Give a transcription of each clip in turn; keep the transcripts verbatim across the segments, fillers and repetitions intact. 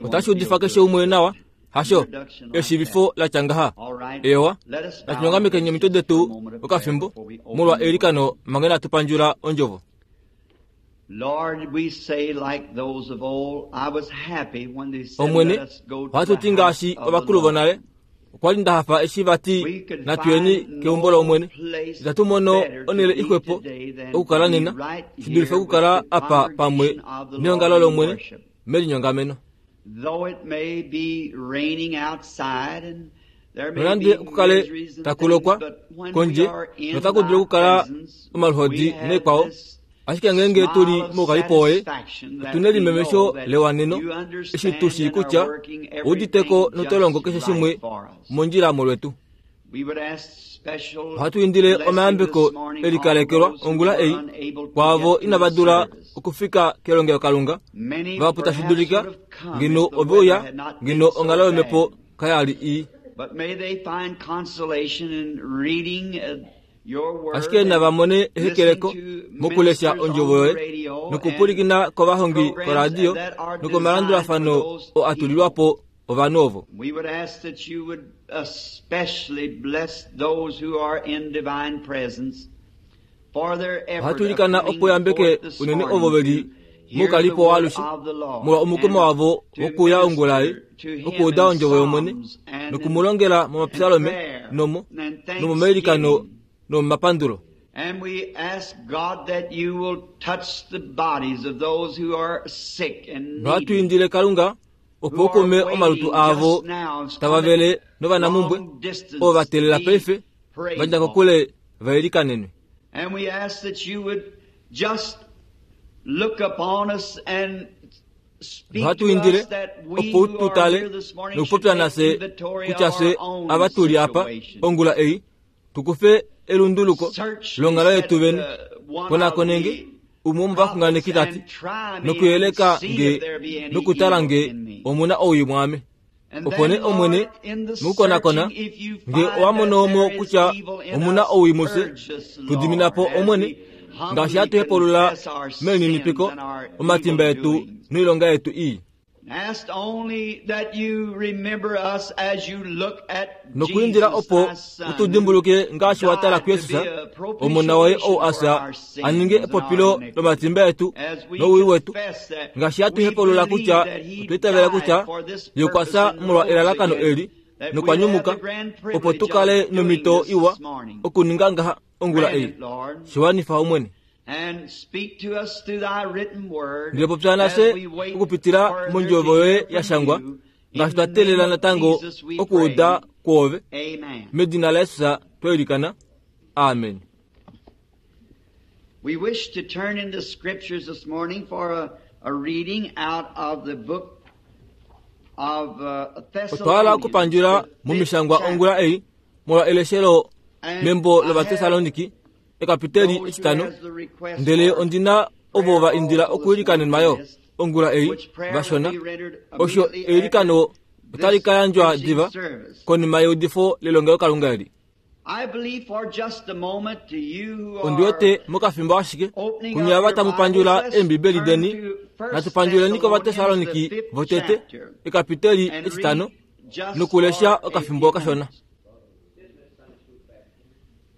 Otashi udifa keshe umwe nawa, hasho eshivifo la tya ngaha. Ewa, natunyongamekeni omitwe detu okafimbo molwa eilikano manga inatu pandjula ondjovo. Lord, we say like those of old, I was happy when they said, Omwene, let us go to ohatu the ti ngaashi house of the ovakulu Lord. vonale, okwa li nda hafa eshi vati We could natuyeni find keumbo no lOmwene. place Itatu mono better to onhele be ixwepo today than okukala to be nena, right shi dulife here with okukala the apa pamwe congregation of the neongalo Lord in lOmwene worship. melinyongameno. Though it may be raining outside and there may Nonande be okukale miseries and takulokwa things, but when we kondje are in notaku dulu thy okukala presence, omaluhodi we have neekwao, this ashike ngeenge tuli smile of moukalipo woye, satisfaction that otu we nelimemesho know that lewaneno you eshi tu shii understand and are kutya working ouditeko everything notolongo just keshe right shimwe for us. mondjila molwetu. We would ask special Ohatu indile blessing omayambeko this morning e likalekelwa on those who ongula were ei unable to kwaavo get to inava the dula service. okufika kelongelokalunga. Many Vahapu tashi perhaps dulika would have come ngeno if the ove uya weather had not been ngeno so onghalo yomhepo bad. kaya li ii. But may they find consolation in reading uh, your word Ashike nava and mone listening ehekeleko to mokulesha ministers ondjovo on the yoye radio and nokupwilikina kovahongi programs koradio that are designed for nokomalandulafano those oo a tulilwa people. po ovanhu ovo. We would ask that you would especially bless those who are in divine presence for their effort Ohatu of ilikana coming opo yambeke forth this unene morning ovo ve li to hear the moukalipo word waalushe of the Lord molwa omukumo and wavo to wokuuya ongula ei minister to him okuuda in ondjovo yOmwene psalms and in, nokumulongela in momapsalome prayer nomo and nomomailikano thanksgiving. nomomapandulo. And we ask God that you will touch the bodies of those who are sick and Nohatu needy, indile Kalunga opo who are okume omalutu waiting aavo just now, has tava come vele a novanamumbwe long distance ovo va to teelela be paife prayed va dja for. kokule va ilikanenwe. And we ask that you would just look upon us and speak Nohatu to indile us that we opo who tu are tale here this morning should nokupopya take nafye inventory kutya of fye our own ava tuli apa situation. ongula ei tukufe elunduluko Search me, longhalo said yetu vene. the one of Konakonenge the umwe womovaxunganeki prophets, tati and try me and nokuyeleka see nge if there be any nokutala evil nge in me. omuna owii mwaame. And Opo nee then, Omwene Lord, in the mokukonakona searching, if you nge find owa that mono mo there is kutya evil in omuna us, owii mufye, purge us, tu dimina po Lord, as Omwene we ngaashi humbly hatu hepulula confess our sins melininipiko and our omatimba evil etu doings. noilonga yetu ii. Ask only that you remember us as you look at Nokuindila Jesus, opo thy Son, utu who dimbuluke ngaashi wa tala died to kuYesus be a omona woye ou propitiation for asa our a ninge sins and our epopilo iniquities. lomatimba etu As we nowii wetu confess that ngaashi hatu we hepulula believe kutya that he otwa itavela died kutya for this ye okwa purpose fya and molwa rose elalakano again, eli that nokwa we'd have nyumuka the grand opo tu privilege kale of doing nomhito this iwa this morning. okuninga ngaha ongula Grant ei. it, Lord, Shiwanifa Omwene. and speak to us through thy written word Ndele popya as nafye we wait okupitila further to mondjovo yoye hear ya from shangwa you. ngaashi In twa the name teelela of natango Jesus we okuuda pray. kwoove. Amen. Medina laYesus twa ilikana. Amen. We wish to turn in the scriptures this morning for a, a reading out of the book of uh, Otwa hala Thessalonians, okupandjula the fifth momishangwa ongula chapter. ei molwa eleshelo And membo I have lOvatessaloniki ekapiteli those who etitano has the request ndele for ondina ovo prayer va indila also this morning okuilikanenwa yo list, ongula ei which prayer will vashona. be rendered Osho immediately after eilikano otali this ka yandjwa preaching diva service. konima yeudifo lelongelokalunga eli. I believe for just a moment to you who Ondi wete are mokafimbo ashike opening kunye up ava your tamu Bibles, pandjula let's eembibeli turn deni to First natu pandjuleni Thessalonians, the kOvatessaloniki fifth votete chapter, ekapiteli and etitano read just nokulesha for a okafimbo few kashona. moments.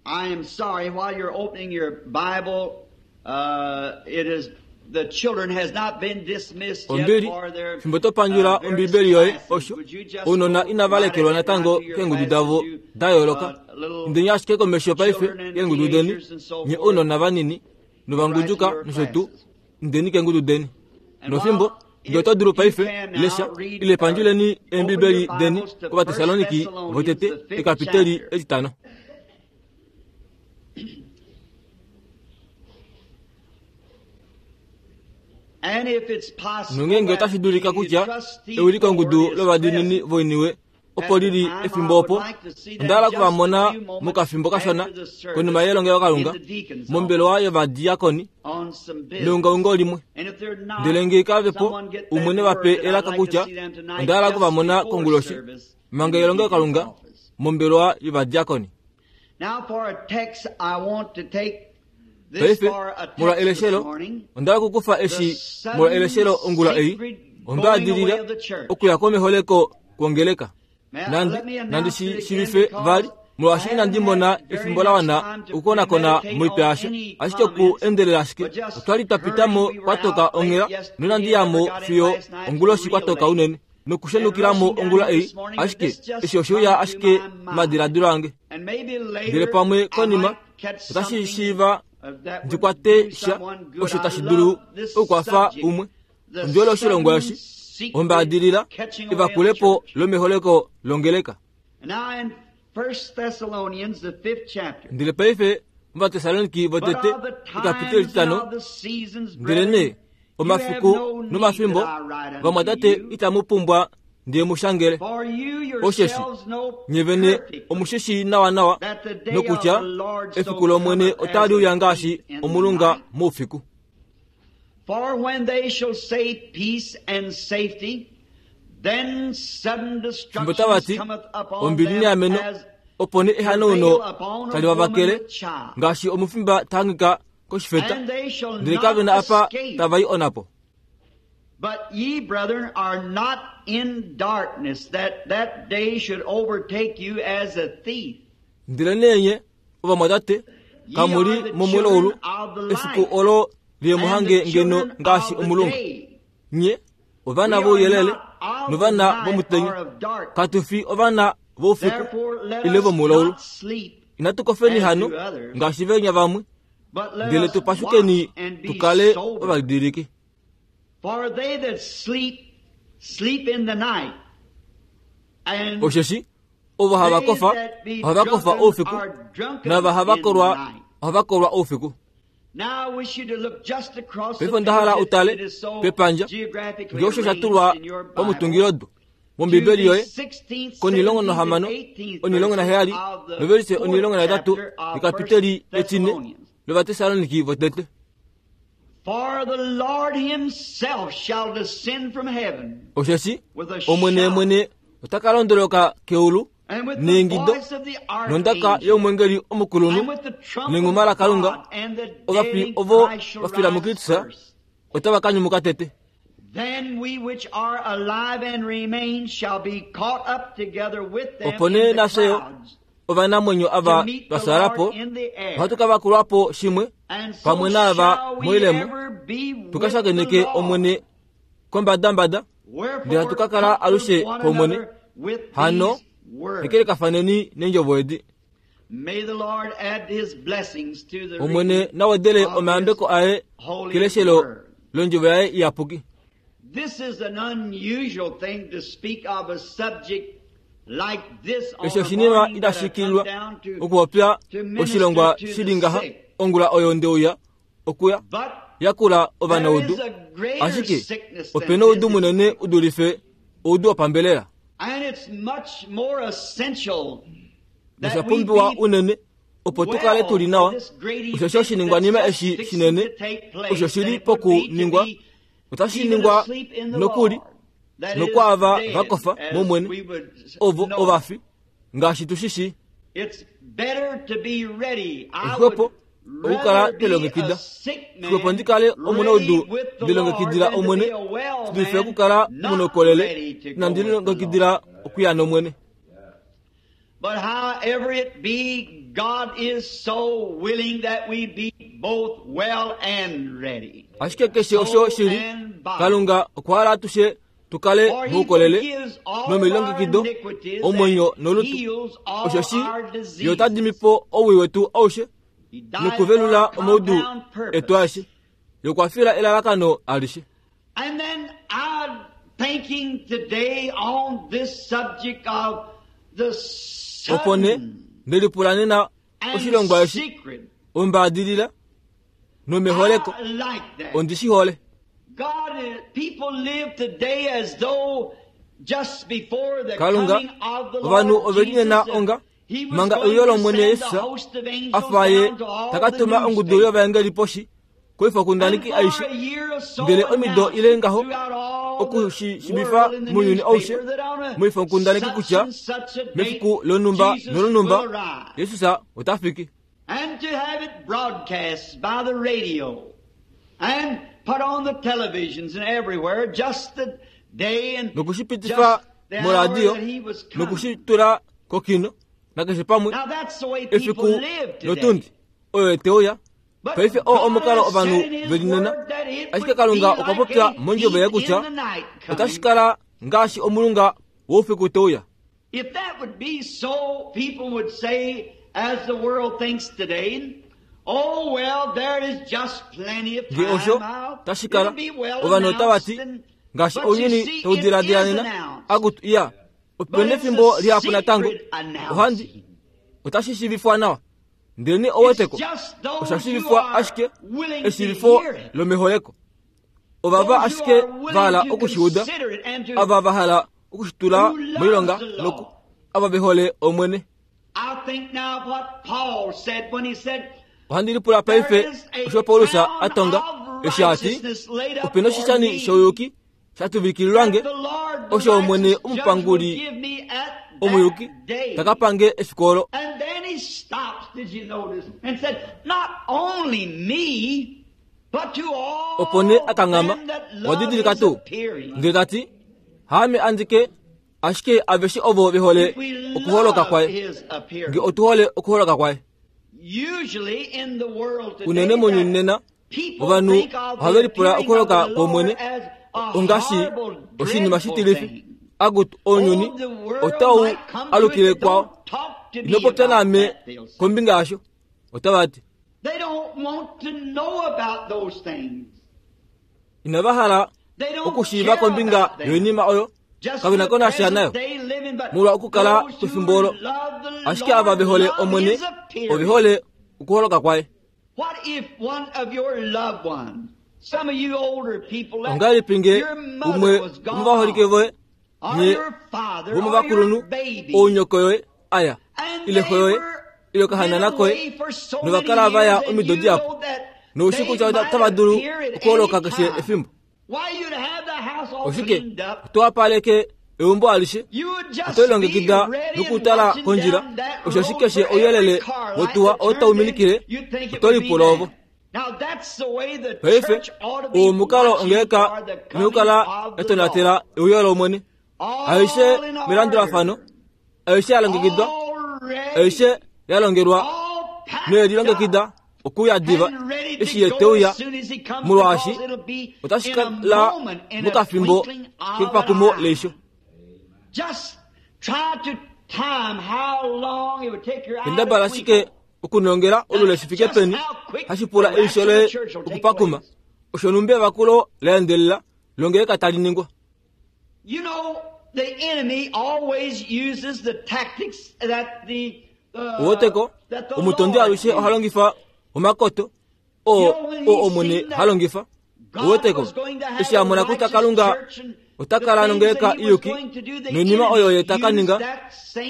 I am sorry, while you're opening your Bible, uh, it is the children has not been dismissed yet Ombili for their fimbo to pandjula uh, various ombibeli yoye classes. osho Would you just ounona go inava right lekelwa ahead now natango to your keengudu classes, davo you da yooloka. uh, little Indeni ashike komesho paife children and keengudu deni teenagers and so nye forth, ounona vanini go right to novangunjuka your nosho tuu classes. indeni keengudu deni. And Nofimbo while ngee if oto dulu you paife can now lesha read ile uh, pandjuleni open your eembibeli deni Bibles to First kOvatessaloniki Thessalonians, votete the fifth ekapiteli chapter. etitano. And if it's possible Nongeenge that otashi dulika the kutya trustee board ewilikongudu is lovadiinini present voiniwe opo at the lili time, I efimbo would opo like to see onda them hala oku va just a mona few moments mokafimbo kashona after the service konima yelongelokalunga in the deacon's office mombelewa yovadiakoni on some business. meungaungo limwe. And if they're not, Ndele ngee kavepo someone get that umwe ne word vape that I'd elaka like to kutya see them tonight onda hala oku va just mona before konguloshi service manga in the deacon's yelongelokalunga office. mombelewa yovadiakoni. Now for a text, I want to take this Paife for a molwa text this eleshelo morning. onda hala okukufa The eshi molwa sudden eleshelo ongula ei sacred Ombaadilila okuya komeholeko kwongeleka. Nandi nandi shiivife vali molwaashi inandi mona efimbo la wana okukonakona moitwa yasho, ashike oku endelela ashike otwali twa pitamo kwatoka onghela nonandi yamo fiyo onguloshi kwatoka unene nokushenukilamo ongula ei, ashike eshi oshiuya ashike madiladilo ange. Ndele pamwe konima otashi shiiva ndikwate sha osho tashi dulu okukwafa umwe. Ondjolo oshilongwa eshi ombaadilila evakulepo lomeholeko longeleka. Ndele paife Ovatesaloniki votete ekapiteli etitano, ndele nee omafiku nomafimbo vamwatate itamu pumbwa ndiye mushangele, osheshi nye vene omushishi nawa nawa nokutya efiku lOmwene otali uya ngaashi omulunga moufiku. For when they shall say peace and safety, then sudden Fimbo tava ti destruction cometh upon ombili them neameno, as opo nee ehanauno tali vavakele ngaashi omufimba ta hangika koshifeta, and they shall ndele kave na not apa escape. tava i onapo. But ye, brethren, are not in darkness, that that day should overtake you as a thief. Ndele nee nye ovamwatate Ye kamuli are the momulaulu, children of the efiku light, olo and liyemuhange the ngeno children ngaashi of the omulunga. day. Nye ovana We are vouyelele not of the novana night vomutenya, or of darkness. katu fi ovana voufiku Therefore, let ile us vomulaulu. not sleep, Inatu kofeni as hano do others, ngaashi venya vamwe, but let ndele us tupashukeni watch and be tukale sober. ovadiliki. For they that sleep, sleep in the night. And Osheshi ovo hava they kofa that be ohava kofa drunken oufiku, are drunken nava hava in the kolwa night. ohava kolwa oufiku. Now I wish you to look just across the Paife onda hala page. utale It is so pepandja geographically ngee osho sha arranged tulwa in your Bible. pamutungilodo To mombibeli the yoye sixteenth, konilongo seventeenth, nohamano and eighteenth onilongo naheyali verses of the novelise fourth onilongo nahetatu chapter of ekapiteli First etine Thessalonians. lovatesaloniki votete. For the Lord himself shall descend from heaven Osheshi with a Omwene shout, mwene ota ka londoloka keulu and with the neingido voice of the nondaka archangel, yomwengeli omukulunhu and with the trump nenguma of laKalunga, God, and the ovafi dead in ovo Christ shall vafila rise muKristus first. otava ka nyumuka tete. Then we which are alive and remain shall be caught up together with them Opo in nee the nafye clouds ovanamwenyo to ava meet the twa Lord in the air. ohatu ka vakulwapo shimwe And so pamwe naava shall we moilemo, ever be with tuka the shakeneke Lord. Omwene kombadambada. Wherefore, ndele hatu ka kala alushe comfort one pOmwene. another with Hano, these words. hekelekafaneni neendjovo edi. May the Lord add his blessings to the Omwene reading nawedele of omayambeko his aye holy keleshelo word. londjovo yaye iyapuki. This is an unusual thing to speak of a subject like this on Esho a oshinima morning that itashi I come kilwa down to, okupopya to minister oshilongwa to the shili ngaha sick. ongula oyo ndeuya okuya But yakula there ovanaudu, is a greater ashike sickness than opena oudu physical. munene udulife oudu wopambelela, And it's much more essential nosha that we pumbiwa be unene opo tukale well tuli nawa. for this great Osho event oshiningwanima that's eshi fixing shinene to take place osho than shili it would be to pokuningwa be otashi even ningwa asleep in the nokuli Lord, that is nokwaava dead, vakofa as mOmwene, we would ovo know. ovafi ngaashi tushishi. It's better to be ready. I Exwepo would okukala rather be twelongekida. a sick man Xwepo ndi kale ready omunaudu with the ndilongekidila Lord than to Omwene, be a well sidulife man okukala not omunokolele ready to go with the nandilongekidila Lord. okuya nOmwene. But however it be, God is so willing that we be both well and ready. Ashike keshe osho Soul shili, and body. Kalunga okwa hala atushe tukale For he moukolele forgives all our nomilongekido iniquities omwenyo and nolutu. heals all Osho shi our ye ota diseases. dimi po owii wetu aushe He died for nokuvelula a omaudu compound etu purpose. aeshe. Ye okwa fila elalakano alishe. And then I'm thinking today on this subject of the Opo nee sudden ndelipula nena and oshilongwa eshi secret. ombaadilila nomeholeko I like that. ondi shi hole. God, is- people live today as though just before the Kalunga, coming of the ovanhu Lord ove linena Jesus, that onga he was manga going euyo to lOmwene send Jesus the host of angels afa ye down to all taka the tuma ongudu newspapers. yovaengeli poshi koifokundaneki And for aishe a year or so ndele omido announced ile ngaho throughout all the okushiivifa world in the mounyuni aushe newspaper that on a moifokundaneki such kutya and such a date mefiku lonhumba Jesus nolonhumba will arrive. Jesus ota fiki. And to have it broadcast by the radio and put on the televisions and everywhere just the Nokushipitifa moradio nokushitula kokino nakeshe pamwe efiku notundi oyo eteuya. Paife oo omukalo ovanhu veli nena, ashike Kalunga okwa popya mondjovo yaye kutya otashi kala ngaashi omulunga woufiku teuya. If that would be so, people would say, as the world thinks today, oh well, there is just plenty of Nge osho time. tashi kala It'll be well ovanhu otava ti announced. ngaashi But you ounyuni see, tau it diladila is nena, announced. akutu iya But opena it's efimbo a lihapu natango secret announcing. ohandi otashi shiivifwa nawa. Ndele oweteko It's just those osha who shiivifwa are ashike willing to eshiivifo hear it. lomeholeko. Ovava Those who ashike are willing va hala to okushiuda, consider it and to ava va hala okushitula Who loves moilonga the law. noku ava ve hole Omwene. I think now of what Paul said when he said, Ohandi lipula paife There is a osho Paulus crown a tonga of eshi a ti righteousness laid up opena for oshishani me, shouyuki sha tuvikililwange that the Lord, the osho Omwene righteous judge, will omupanguli give me at that omuyuki day. taka pange efiku olo. And then he stops, did you notice, and said, not only me, but to all Opo nee a kanghama, them that wa love didilika his tuu appearing. ndele ta ti haame andike ashike aveshe ovo ve hole If we okuholoka love kwaye. his appearing. Nge otu hole okuholoka kwaye. Usually in the world today, Unene mounyuni that nena people ovanhu think of the ohave lipula appearing of okuholoka the kwOmwene Lord as a ongaashi horrible, oshinima dreadful shitilifi. thing. Akutu ounyuni Oh, the world otau might come to alukile it. kwao. Don't talk to me Ino popya about naame that, they'll say. kombinga yasho. Otava ti They don't want to know about those things. inava hala They don't okushiiva care kombinga about them. yoinima oyo Just kavena the ko nasha present nayo day living, but molwa okukala those who pefimbo olo. love the Ashike ava Lord ve hole love Omwene his appearing. ove hole okuholoka kwaye. What if one of your loved ones, some of you older people, that Ongahelipi nge your mother umwe was gone womovaholike on, voye or nye your father, or vomovakulunhu your baby, ounyoko yoye aya and ile they xo yoye were ile okahanana been koye away for so novakala many vaya years, and omido you dihapu know that noushi they kutya might otava dulu appear at okuholoka any keshe time. efimbo. Why, you'd have the house all Oshike cleaned up. oto wapaleke eumbo alishe You would just oto lilongekida be ready and nokutala watching kondjila down that osho shi road keshe for ouyelele every car light wotuwa that oo turned tau in, minikile you'd think it oto would be lipula ovo. them. Now that's the way the Paife church ought to be oo omukalo watching ongeleka for the coming nokukala of the etonatela Lord. euyo lOmwene. All Aishe in melandulafano, order. aishe ya longekidwa, All ready. aishe ya longelwa All packed noyelilongekida up okuya diva and ready to eshi ye go teuya as soon as he comes, molwaashi because it'll be otashi in a kala moment, in a mokafimbo twinkling of kepakumo an eye. leisho. Just try to time how long it would take your eye to Kendabala twinkle. ashike okunongela olule shi fike peni hashi pula eisho loye okupakuma osho numbi evakulo la endelela longeleka tali ningwa. You know, the enemy always uses the tactics that the uh, Oweteko that the omutondi Lord alushe oha used. longifa omakoto oo oo Omwene ha longifa. Oweteko eshi a mona kutya Kalunga ota kala nongeleka iyuki noinima oyo ye ta ka ninga,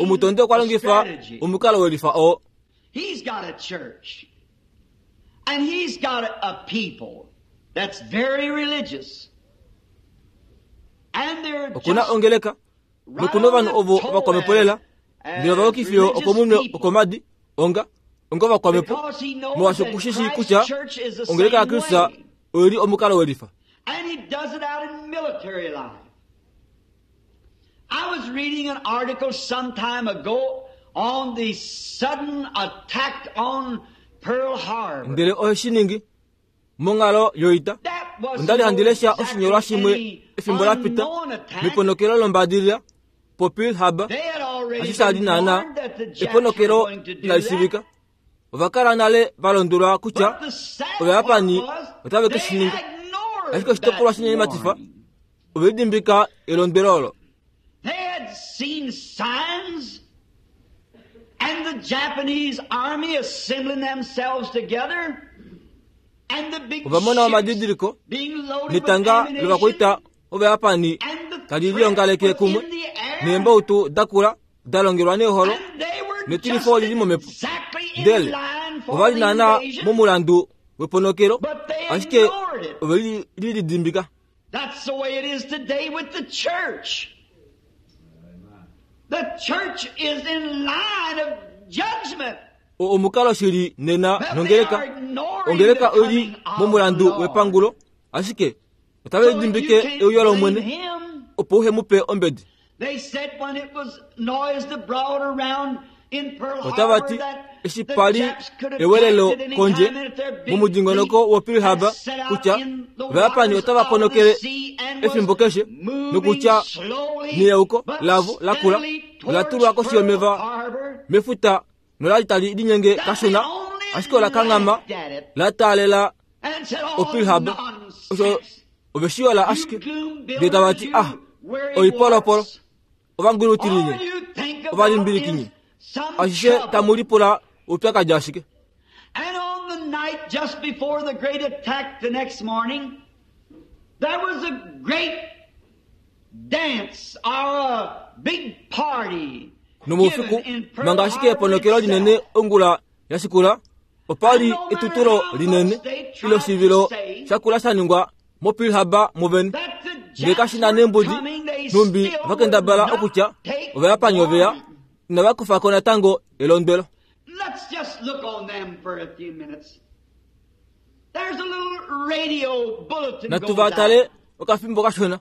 omutondi okwa longifa omukalo welifa oo. He's got a church. And he's got a, a people that's very religious. And they're Okuna just ongeleka right nokuna on ovanhu the ovo toe vakwamepo lela as, ndele as vayukifiyo religious okomunwe people. okomadi onga onga vakwamepo Because he knows molwaashi that okushi shii Christ's kutya church is the ongeleka same yaKristus way. oili omukalo welifa. And he does it out in military life. I was reading an article some time ago on the sudden attack on Pearl Harbor. Ndele oheshi ningi monghalo yoita. That was Onda li no handi lesha exactly oshinyolwa shimwe any efimbo la pita unknown attack. meponokelo lombadilila poPearl Harbor They had already ashi sha li been naana warned that the Japs were eponokelo going to do inali that. shiivika. Ova kala nale va londwelwa kutya But the sad Ovayapani part was otave ke they shi ninga. ignored Ashike oshitopolwa that shinyenyematifa warning. ove lidimbika elondwelo olo. They had seen signs and the Japanese army assembling themselves together and the big Ova mona ships omadidiliko being loaded with netanga ammunition lovakwaita Ovayapani and the tali threat liongaleke was kumwe in the air neembautu dakula da longelwa neeholo and they were netilifo just lili momhepo. exactly in Ndele line for ova li the naana invasion. momulandu weponokelo But they ashike ignored it. ove li lidimbika. That's the way it is today with the church. The church is in line of judgment. O- omukalo shili nena But they nongeleka are ignoring ongeleka the oli coming of momulandu the Lord. wepangulo ashike otave So you lidimbike can't euyo blame lOmwene. him. opo uhe mu pe ombedi. They said when it was noised abroad around in Pearl Otava Harbor ti that eshi the pali Japs could have ewelelo attacked at any kondje time and if their big momudingonoko fleet wo Pearl had Harbor set out kutya in the Ovayapani waters otava of the ponokele sea and was efimbo keshe moving nokutya slowly neyauko but lavo lakula steadily ola tulwa towards koshi Pearl yomeva Harbor, mefuta nolali tali linyenge that kashona they only ashike ola kanghama laughed at it la taalela and said, "Oh, o Pearl Harbor osho nonsense. oveshiyola You ashike gloom ndee tava ti builders, ah you weary oipolopolo warts. ovangulutilinye All you think about ovalimbilikinye is some ashishe trouble." tamu lipula oupyakadi ashike. And on the night just before the great attack the next morning, there was a great dance or a big party Nomoufiku given in Pearl manga ashike Harbor eponokelo linene itself. ongula ya shikula opali etutulo linene ile oshivilo shakula sha ningwa mo Pearl Harbor muvene. That the Ndele Japs kashi na were nembudi coming, they numbi still would vakendabala not okutya take Ovayapani oveya warning. inava kufako natango elondwelo. Let's just look on them for a few minutes. There's a little radio bulletin Natu goes vatale out. okafimbo kashona.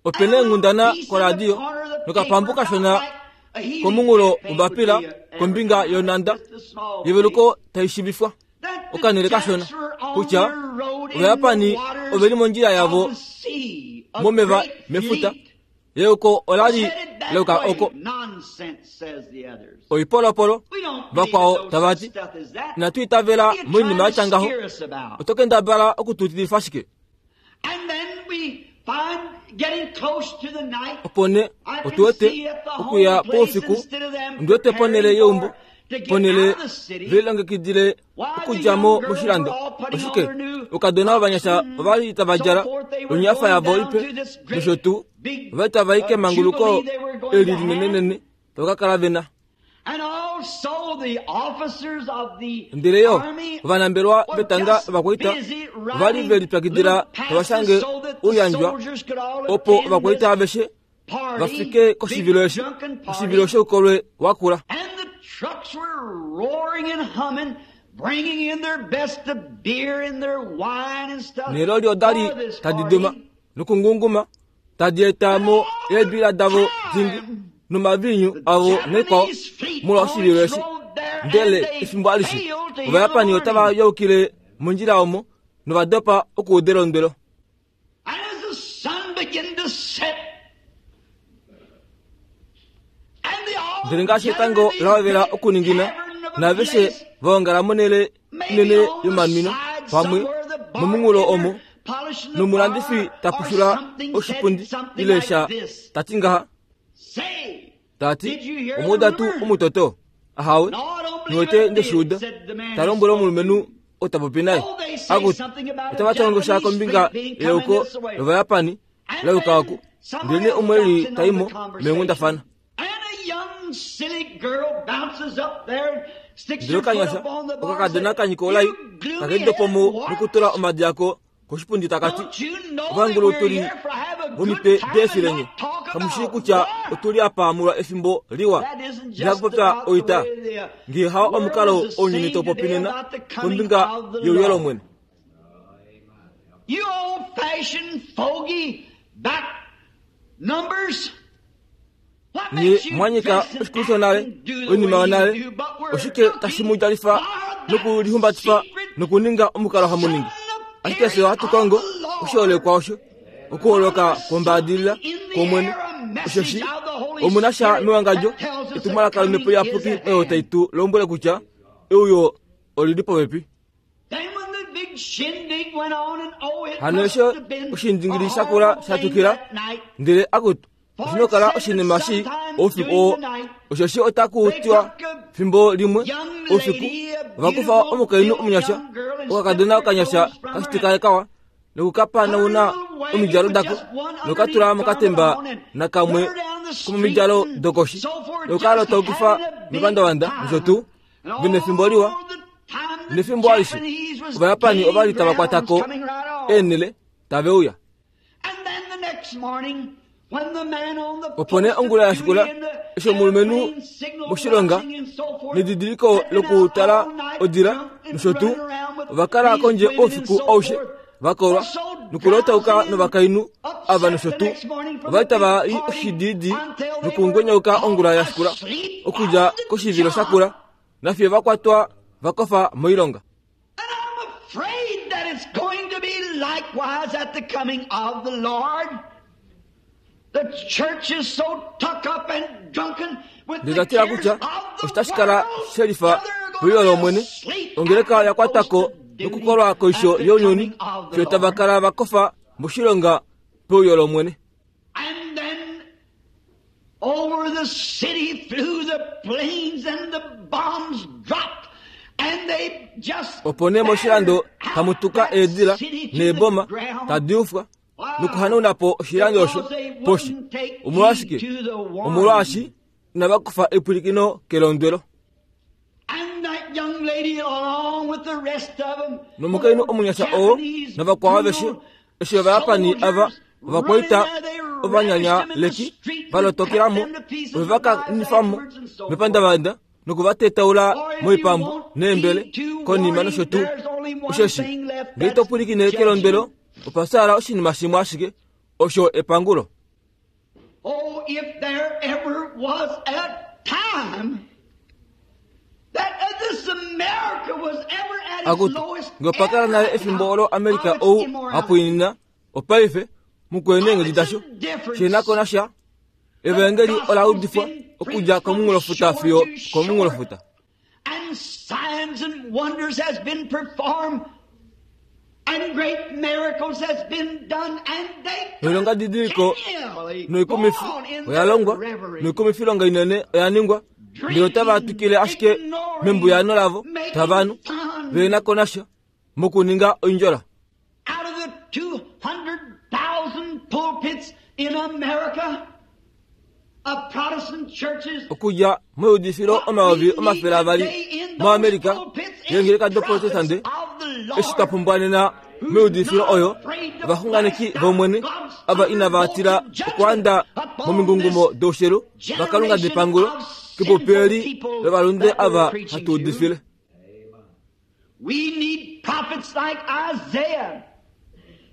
Opena enghundana koradio nokapambu kashona komunghulo wombapila kombinga yonanda yeveluko taishivifwa okanhele kashona kutya Ovayapani oveli mondjila yavo momeva mefuta yeuko olali leuka oko oipolopolo vakwao tavati inatu itavela moinima yatya ngaho oto kendabala okututilifa ashike. And then we find getting close to the night. Opo nee I can otuwete see at the okuya home place poufiku instead of them ndiwete ponele preparing yeumbo for to get ponele out of the city. velilongekidile Why the okudja young mo girls moshilando were all putting on oshike their new okadona ovanyasha ovali tava djala so forth, they were onyafa going yavo down ipe to this great nosho tuu big, ovali tava i uh, kemanguluko jubilee they were going eli to have. linenenene tava ka kala vena. And also the officers of the Ndele yo army ovanambelwa were vetanga just ovakwaita busy ovali writing ve lipyakidila little tava passes shange so that the ouyandjwa soldiers could all opo attend ovakwaita this aveshe party, vafike koshivilo big eshi drunken party. oshivilo shoukolwe wakula. And the trucks were roaring and humming, bringing in their best of beer and their wine and stuff Neloli odali for this tadi duma party. nokungunguma tadi eta mo eebila davo dingi nomavinyu avo naikwao molwa oshivilo eshi. Ndele efimbo alishe Ovayapani otava yaukile mondjila omo novadopa okuuda elondwelo. And as the sun began to set, and they all Ndele ngaashi gathered etango in this la hovela great okuningina cavern of a naaveshe place, vaongala monhele maybe inene on the yomanwino side pamwe somewhere, the momunghulo bartender omo polishing the nomulandifi bar ta or pushula something said oshipundi something ile like sha this. tati ngaha Say, tati Did you hear the omuuda tuu rumor? omutoto ahawe No, I don't believe niwete I did, ndeshiuda said the man ta lombwele who spoke omulumenhu to me. oo ta popi naye Oh, they say akuti something about a otava tongo sha Japanese kombinga fleet being coming yeuko this way. lovayapani And lauka then oku someone ndele else umwe drops eli in on taimo the conversation. meenghundafana. And a young silly girl bounces up there and sticks Ndele her foot okanyasha up on the bar and okakadona says, kanyika olai "You gloomy takedopomo head warts, nokutula omadi ako koshipundi takati don't you know that ovangulu we're otuli here for have a good vomitwe time and deefilenye not talk kamushii about kutya war?" otuli apa mulwa efimbo liwa That isn't just ndilakupopya about the oita way the, uh, ngee hao world omukalo is the ounyuni same taupopi today nena about the coming kombinga of the youyo Lord. lomwene. You old-fashioned fogey back numbers. What Nye makes you mwanyika dress and oshikulu shonale act and do the oinima way you yonale do, but we're oshike looking tashi mu djalifa for that nokulihumbatifa secret nokuninga omukalo hamuningi ashike fye ohatu kongo oshiholekwa osho okuholoka kwombaadilila kwomwene oshoshi omuna sha mewangadjo etumwalaka lomhepo iyapuki oyo tai tu lombwele kutya euyo olili popepi. Then when the big shindig went on and oh, it Hano must esho have been oshindingili a shakula horrible thing shatukila that night. ndele akutu oshinokala oshinima shi oufiku oo oshoshi otaku tiwa fimbo limwe oufiku ovakufa omukainhu omunyasha okakadona okanyasha kashitika kawa nokukapanauna omidjalo dako nokukatula mokatemba nakamwe komomidjalo dokoshi nokukala taukifa mepandavanda nosho tuu vena efimbo liwa nefimbo alishe Ovayapani ovali tava kwatako eenhele tave uya. Opo nee ongula ya shikula eshi omulumenhu moshilonga nedidiliko lokutala odila nosho tuu ova kala kondje oufiku aushe vakolwa Nokulotauka novakainhu ava nosho tuu ovali tava i oshididi nokungwenyauka ongula ya shikula okudja koshivilo shakula nafiyo va kwatwa va kofa moilonga. And I'm afraid that it's going to be likewise at the coming of the Lord. The church is so tucked up and drunken with the Ndindatila cares kutya of the oshitashi kala world shelifa till they're peuyo gonna be lOmwene asleep ongeleka at the ya kwatako post of duty nokukolwa koisho at the younyuni coming of the fiyo tava Lord. kala va kofa moshilonga peuyo lOmwene. And then over the city flew the planes and the bombs dropped. And they just Opo nee moshilando tamu tuka eedila neeboma tadi ufwa nokuhanauna po oshilando osho poshi. Omolwashike? Omolwaashi inava kufa epwilikino kelondwelo. And that young lady along with the rest of them Nomukainhu omunyasha oo navakwao aveshe eshi Ovayapani ava ovakwaita ovanyanyaleki va lotokela mo ove va kanifa mo mepandavanda nokuvatetaula moipambu neembele konima nosho tuu. Osheshi ngee ito pwilikine kelondwelo opa fyaala oshinima shimwe ashike osho epangulo. Oh, if there ever was a time that uh, this America was ever at its Akutu lowest ngee opa kala nale efimbo olo America ou hapwiinina opaife mukweni eenghedi dasho shinako nasha evangeli ola udifwa okudja komunghulofuta fiyo komunghulofuta. And signs and wonders has been performed, and great miracles has been done, and they Noilonga didiliko continually noikumifi go on in oya their longwa reverie. noikumifilonga inene oya ningwa ndele otava twikile ashike membuyano lavo tavanhu venako nasha mokuninga oindjola. Out of the two hundred thousand pulpits in America, of Protestant churches, Okudja moudifilo omayovi omafele avali moAmerica yeengeleka doprotestante eshi twa pumbwa nena meudifilo oyo ovaxunganeki vOmwene ava inava tila okuanda momingungumo doushelu vakalunga depangulo kepopi eli lovalunde ava hatu udifile. We need prophets like Isaiah,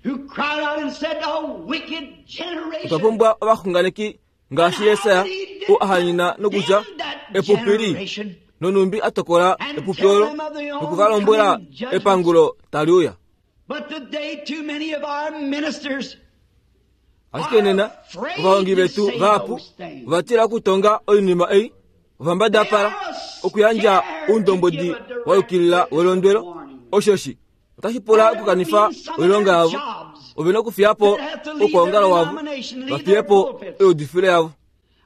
who cried out and said, A wicked generation. Otwa pumbwa ovaxunganeki ngaashi Jesaja ou a hanyena nokutya epupi li nonumbi a tokola epupi olo nokuva lombwela epangulo tali uya. But today, too many of our ministers Ashike nena ovahongi vetu vahapu ova tila okutonga oinima ei ovambadapala okuyandja oundombwedi wa yukilila welondwelo. Oshoshi otashi pula okukanifa oilonga yavo, ove na okufiya po oukwaongalo wavo, vafiye po oudifilo yavo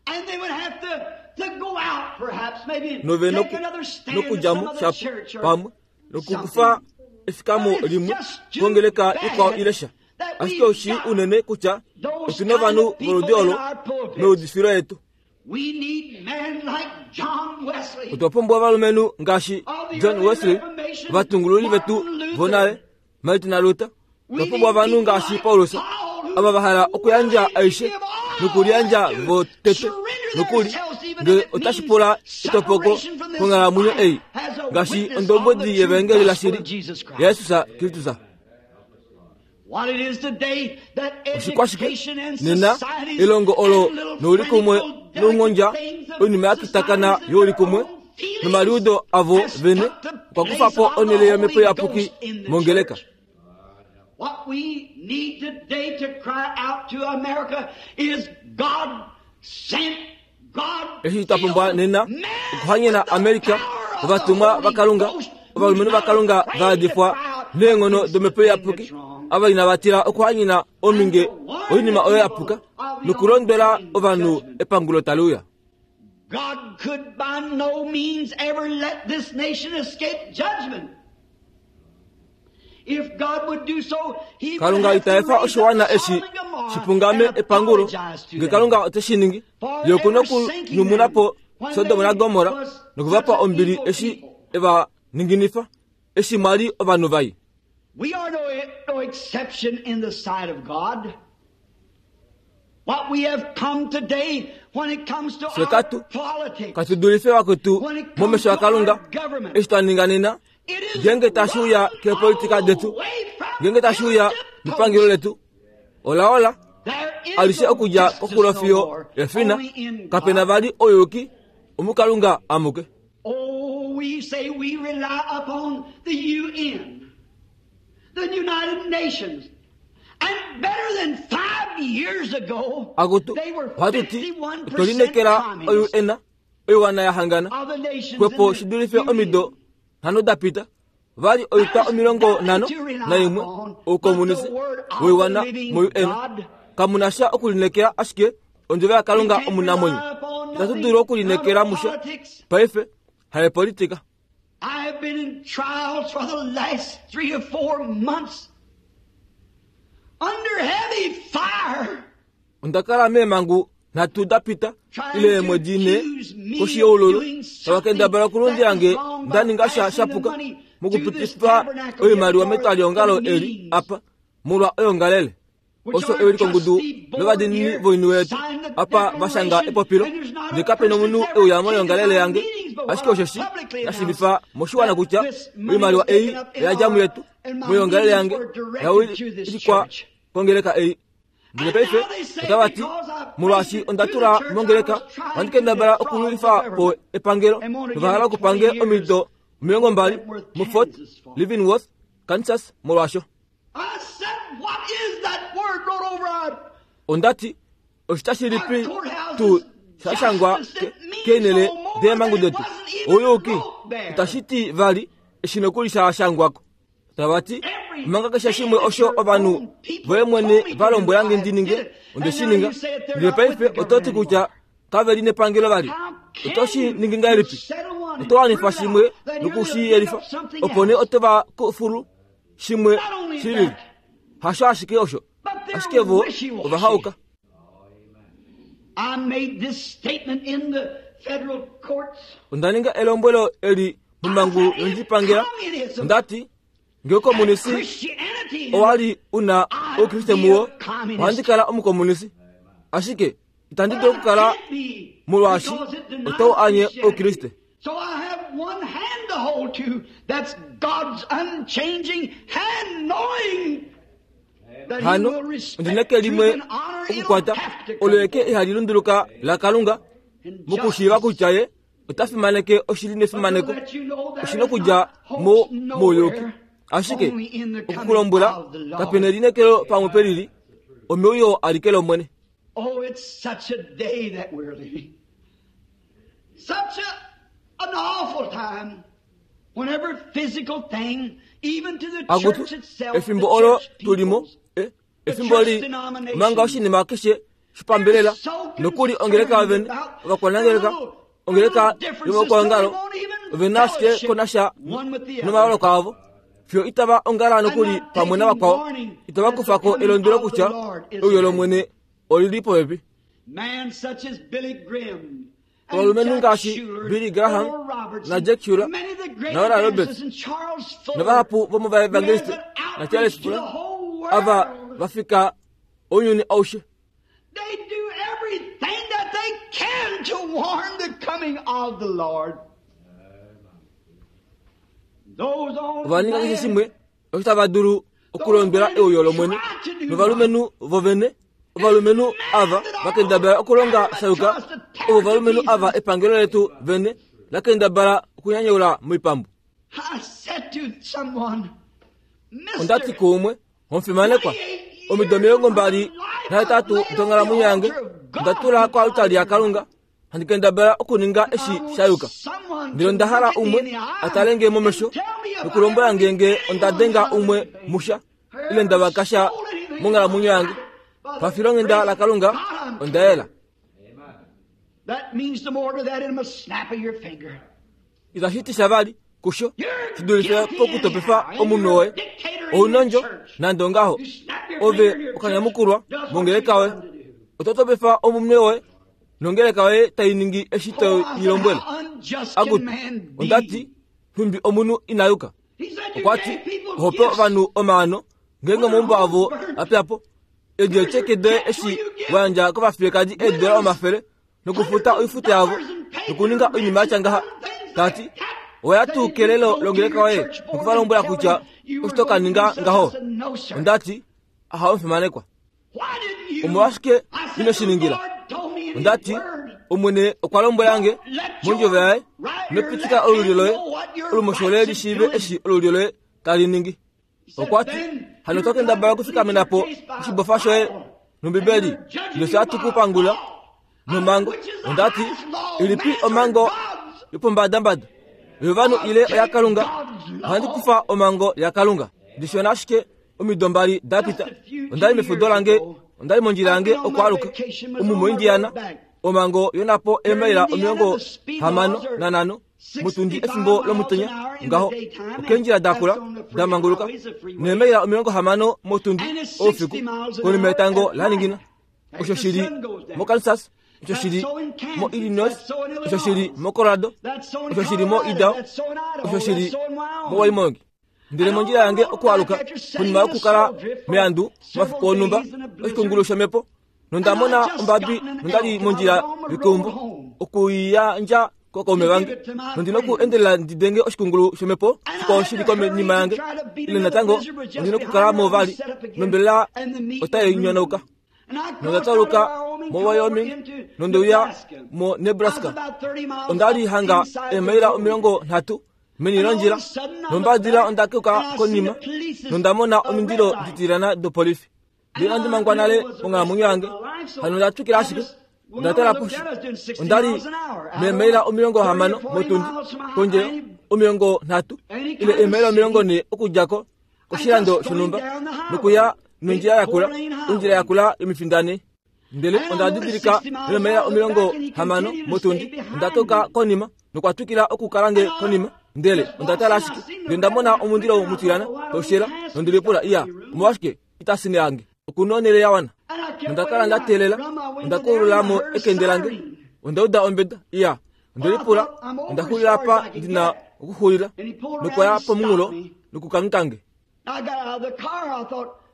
and they would have to, to go out, perhaps, maybe and nove take another stand at nokudja some mo other shapo church or pamwe nokukufa efikamo limwe kongeleka ikwao ile sha. Ashike oshi unene kutya otuna ovanhu voludi olo meudifilo yetu. We need men like John Wesley. Otwa pumbwa ovalumenhu ngaashi John Wesley, ovatungululi vetu vonale, Martin Luther. Otwa pumbwa ovanhu ngaashi Paulus, ava va hala okuyandja aishe nokuliyandja votete nokuli ngele otashi pula etopoko konghalamwenyo ei ngaashi ondombwedi yevangeli lashili yaJesus Kristus. What it is today that Oshikwashike education and nena societies elongo olo and little noulikumwe practical nounghondja delicate things of oinima ya kitakana societies and youlikumwe their own feelings nomaliudo avo has vene took the okwa kufa place po of the onhele yomhepo Holy iyapuki Ghost in the mongeleka. church. What we need today to cry out to America is God sent, God Eshi twa pumbwa filled nena men okuhanyena with the America power of the ovatumwa Holy vakalunga Ghost ovalumenhu who's not vakalunga afraid to vaadifwa cry out neenghono against the domhepo thing iyapuki that's wrong. ava inava tila okuhanyena ominge oinima oyo ya puka nokulondwela ovanhu epangulo tali uya. God could by no means ever let this nation escape judgment. If God would do so, he would Kalunga have to ita efa raise up oshiwana eshi Sodom and Gomorrah shipungame and epangulo apologize to nge them. Kalunga ote shi ningi ye okuna okunyumuna po Sodom naGomorra nokuvapa ombili eshi eva ninginifa eshi mwali ovanhu vai. We are no, no exception in the sight of God. What we have come today when it comes to Fye our katu- politics, Katu dulife vakwetu when it comes momesho to akalunga our government, eshi twa ninga nena it is ngenge tashi uya run keepolitika all detu the way from ngenge tashi uya hill to mepangelo letu olaola alishe okudja koxulo fiyo efina kapena vali ouyuki omukalunga amuke. Oh, we say we rely upon the U N, the United Nations. And better than five years ago, akutu they were ohatuti fifty-one percent otwelinekela communist O U N oiwana ya hangana of the nations kwepo in the shidulife U N. omido nhano dapita vali oita omilongo nhano naimwe oukomunisi woiwana mo U N kamuna sha okulinekela ashike ondjovo yaKalunga omunamwenyo. Itatu dulu okulinekela musha paife haepolitika. I have been in trials for the last three or four months under heavy fire. Onda kala meemangu nhatu dapita ile eemwedi nhe koshi yoululu tavakendabala okulundila nge nda ninga sha shapuka mokupitifa oimaliwa metwaliongalo eli apa molwa oyongalele. Osho ewilikongudu lovadiinini voinhu yetu apa vashanga epopilo ndele kapena omunhu euya moyongalele yange ashike osheshi nashiivifa moshiwana kutya oimaliwa ei oyadja muyetu moyongalele yange yawilikwa kongeleka ei. Ndele paife otava ti molwaashi onda tula mongeleka ohandi kendabala okululifa po epangelo novahala okupange omido omilongo mbali muFort Leavenworth, Kansas molwaasho. I said, what is that word wrote over our Ondati oshita shilipi tu shashangwa keenele deemangu detu ouyuki itashi ti vali eshi nokuli shashangwako. Tavati manga keshe shimwe osho ovanhu voye mwene valombwela nge ndi ninge onde shi ninga. Ndele paife ototi kutya kave li nepangelo vali. Oto shi ningi ngahelipi? Oto wanifa shimwe nokushiyelifa opo nee oto va kufulu shimwe shilili. Hasho ashike osho ashike vo ovahauka. I made this statement in the federal courts. Onda ninga elombwelo eli momangu yondjipangela. Ondati ngee okomunisi Christianity owali una oukriste muwo ohandi kala omukomunisi ashike itandi dulu okukala molwaashi otau anye oukriste. So I have one hand to hold to. That's God's unchanging hand, knowing that He Hano will respect ondina eke truth limwe and honor. It'll okukwata have to olo come eke ihali lunduluka laKalunga in mokushiiva justice. kutya ye ota fimaneke oshili nefimaneko But to let you know there oshina is okudja not hope mo nowhere, mouyuki ashike only in the coming okukulombwela of the Lord. kapena elinekelo pamwe pelili omeuyo alike lOmwene. Oh, it's such a day that we're living. Such a, an awful time. Whenever physical thing, even to the Akutu church itself, the efimbo olo church tulimo peoples, e, efimbo li manga oshinima keshe shipambelela nokuli ongeleka vene ovakwanangeleka ongeleka yovakwangalo ovena ashike konasha nomaloloko avo fiyo itava ongala nokuli pamwe navakwao itava kufako elondwelo kutya euyo lOmwene olili popepi. Man such as Billy Graham and Ovalumenhu Jack ngaashi Shuler, Billy Graham Oral Roberts, na Jack Shuler, many of the great na Oral Roberts, evangelists and Charles Fuller, navahapu vomovaevangeliste who had na Charles outreach to the Fuller whole ava world. vafika ounyuni aushe. They do everything that they can to warn the coming of the Lord. Those on Ova ninga keshe land, shimwe osho tava dulu okulondwela euyo lOmwene novalumenhu vovene ovalumenhu ava vakendabala okulonga shayuka ovo ovalumenhu ava epangelo letu vene lakendabala okunyanyaula moipambu. I said to someone, Ondati Mister, kuumwe omufimanekwa omido omilongo mbali nahetatu donghalamwenyo yange onda tula koalutali yaKalunga handi kendabala okuninga eshi shayuka. Ndele onda hala umwe atale nge momesho nokulombwela nge nge onda denga umwe musha ile nda vakasha monghalamwenyo yange. Pafilonghenda laKalunga onda yela. That means the more to that in a snap of your finger. Itashi ti sha vali kusho You're shidulife guilty pokutopefa anyhow, and omunhu you're a woye dictator in your ounondjo church. nande ongaho You snap your ove finger in your okanyamukulwa church, does what mongeleka you woye want to do. oto topefa omunwe woye nongeleka yoye tai ningi eshi Oh, to I said, i lombwele. how unjust can Akutu man be? ondati nhumbi omunhu ina yuka. He said you Okwa ti gave people ohope gifts. ovanhu omaano ngeenge omaumbo avo apyapo edi echeke doye eshi wayandja kovafiyekadi eedola omafele nokufuta oifuta yavo nokuninga oinima yatya ngaha. Tati oya tuu kelelo longeleka woye nokuvalombwela kutya osho to ka ninga ngaho. Ondati Ahawe omufimanekwa. Omolwashike ino shi ningila? Ondati Omwene okwa lombwela nge mondjovo yaye, ino pitika olulyo loye olumosho loye li shiive eshi olulyo loye tali ningi. Okwa ti, hano oto kendabala okufikamena po oshibofa shoye nOmbibeli, ndele hatu ku pangula nomhango. Ondati, ilipi omhango yopombadambada, yovanhu ile oyaKalunga? Ohandi kufa omhango yaKalunga. Ndishona ashike omido mbali da pita, onda li mefudo lange, onda li mondjila yange okwaaluka omu moIndiana, omhango yonapo eemaila omilongo hamano nanhano motundi efimbo lomutenya ngaho, okeendjila dakula damanguluka, neemaila omilongo hamano motundi oufiku konima yetango laningina. Osho shili moKansas, osho shili moIllinois, osho shili moColorado, osho shili moIdaho, osho shili moWyoming. Ndele mondjila yange okwaaluka konima yokukala meandu omafiku onhumba oshikungulu shomhepo, nonda mona ombabi nondali mondjila yokeumbo okuyandja kokaume vange, nondina oku endelela ndi denge oshikungulu shomhepo shikwao shili konima yange, ile natango ondina okukala mo vali nombelela otai nyonauka. Nonda tauluka moWyoming nondeuya moNebraska. Onda li hanga eemaila omilongo nhatu meni londjila, nombadila onda keuka konima nonda mona omindilo ditilana dopolifi. Ndele inandi mangwa nale monghalamwenyo yange, hano onda twikila ashike. Onda tala poshi, onda li meemaila omilongo hamano motundi kondje omilongo nhatu ile eemaila omilongo nhee okudja ko koshilando shonhumba nokuya nondjila yakula, ondjila yakula yomifindane. Ndele onda didilika meemaila omilongo hamano motundi, onda keuka konima nokwa twikila okukala nge konima. Ndele onda tala ashike, ndele nda mona omundilo mutilana taushela, nondelipula, iya, omolwashike itasine yange okuna onhele ya wana. Nonda kala nda teelela, onda koolula mo ekende lange, onda uda ombeda, iya, ondelipula, onda xulila apa ndina okuxulila, nokwaya pomunghulo nokukangheka.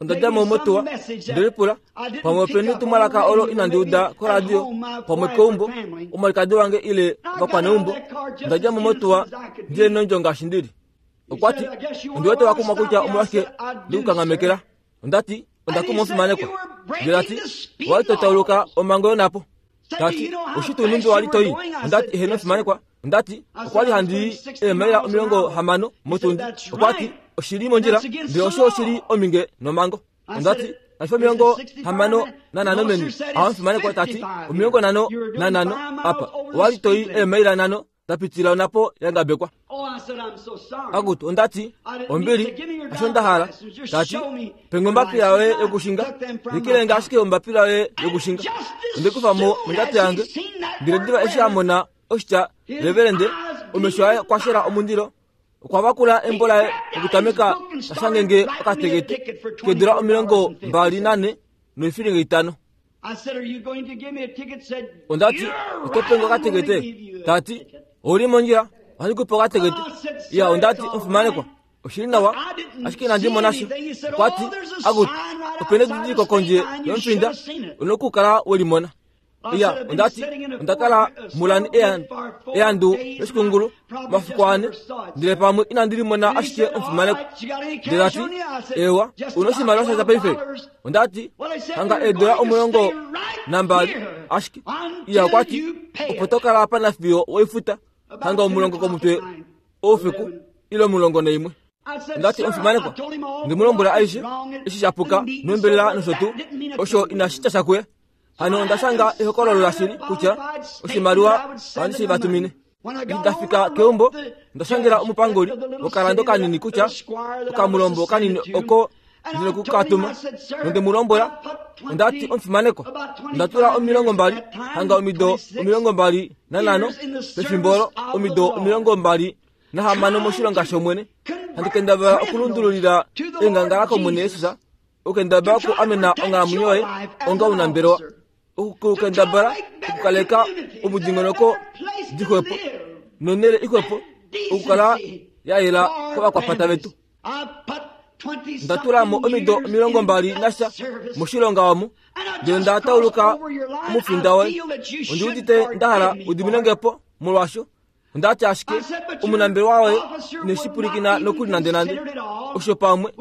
Onda dja mo motuwa, ndelipula, pamwe openi etumwalaka olo inandi uda koradio, pamwe keumbo, omwalikadi wange ile ovakwaneumbo. Onda dja mo motuwa ndile nondjo ngaashi ndili. Okwa ti, ondi wete wa kumwa kutya omolwashike ndikukanghamekela. Onda ti, onda kumwa omufimanekwa. Ndele ta ti, owa li to tauluka omhango yonapo. Ta ti, oshi tuu nhumbi wa li to i? Onda ti, eheno omufimanekwa. Onda ti, okwa li handi i eemaila omilongo hamano motundi. Okwa ti, oshili mondjila, ndele osho oshili ominge nomhango. Onda ti, kashi fi omilongo hamano nanhano meni. Aho omufimanekwa. Ta ti, omilongo nhano nanhano apa. Owa li to i eemaila nhano da pitila onapo ya ngabekwa. Akutu, onda ti, ombili, hasho nda hala. Ta ti, penge ombapila yoye yokushinga, likilenge ashike ombapila yoye yokushinga. Onde kufa mo mondjato yange, ndele diva eshi a mona oshitya reverende, omesho aye okwa shela omundilo. Okwa vakula embo laye okutameka tashange okatekete keedula omilongo mbali nane noifilinga itano. Onda ti, oto penge okatekete? Ta ti, ouli mondjila, ohandi ku pe okatekete. Iya, onda ti, omufimanekwa, oshili nawa, ashike inandi mona sha. Okwa ti, akutu, opena edidiliko kondje yomufinda, una okukala we limona. Iya, onda ti, onda kala mulani eandu loshikungulu omafiku ane, ndele pamwe inandi limona ashike omufimanekwa. Ndele ta ti, ewa, una oshimaliwa sha dja paife? Onda ti, hanga eedula omulongo nambali ashike. Iya, okwa ti, opo to kala apa nafiyo weifuta, hanga omulongo komutwe oufiku ile omulongo naimwe. Onda ti, omufimanekwa, nde mu lombwela aishe eshi sha puka nombelela nosho tuu, osho inashi tya sha kuye. Hano onda shanga ehokololo lashili kutya oshimaliwa ohandi shi vatumine. Eshi nda fika keumbo, onda shangela omupanguli wokalando kanini kutya okamulombo kanini oko ndine kukatuma, nonde mu lombwela. Onda ti, omufimanekwa, onda tula omilongo mbali hanga omido omilongo mbali nanhano pefimbo olo, omido omilongo mbali nahamano moshilonga shOmwene, handi kendabala okulundululila eengangala kOmwene Jesus, okukendabala oku amena onghalamwenyo yoye onga omunambelewa, okukendabala okukaleka omudingonoko dixwepo nonhele ixwepo okukala ya yela kovakwapata vetu. Onda tula mo omido omilongo mbali nasha moshilonga omu, ndele nda tauluka omufinda woye. Ondi udite nda hala udiminenge po molwaasho Ondati ashike omunambelewa waye ineshi pwilikina nokuli nande nande osho pamwe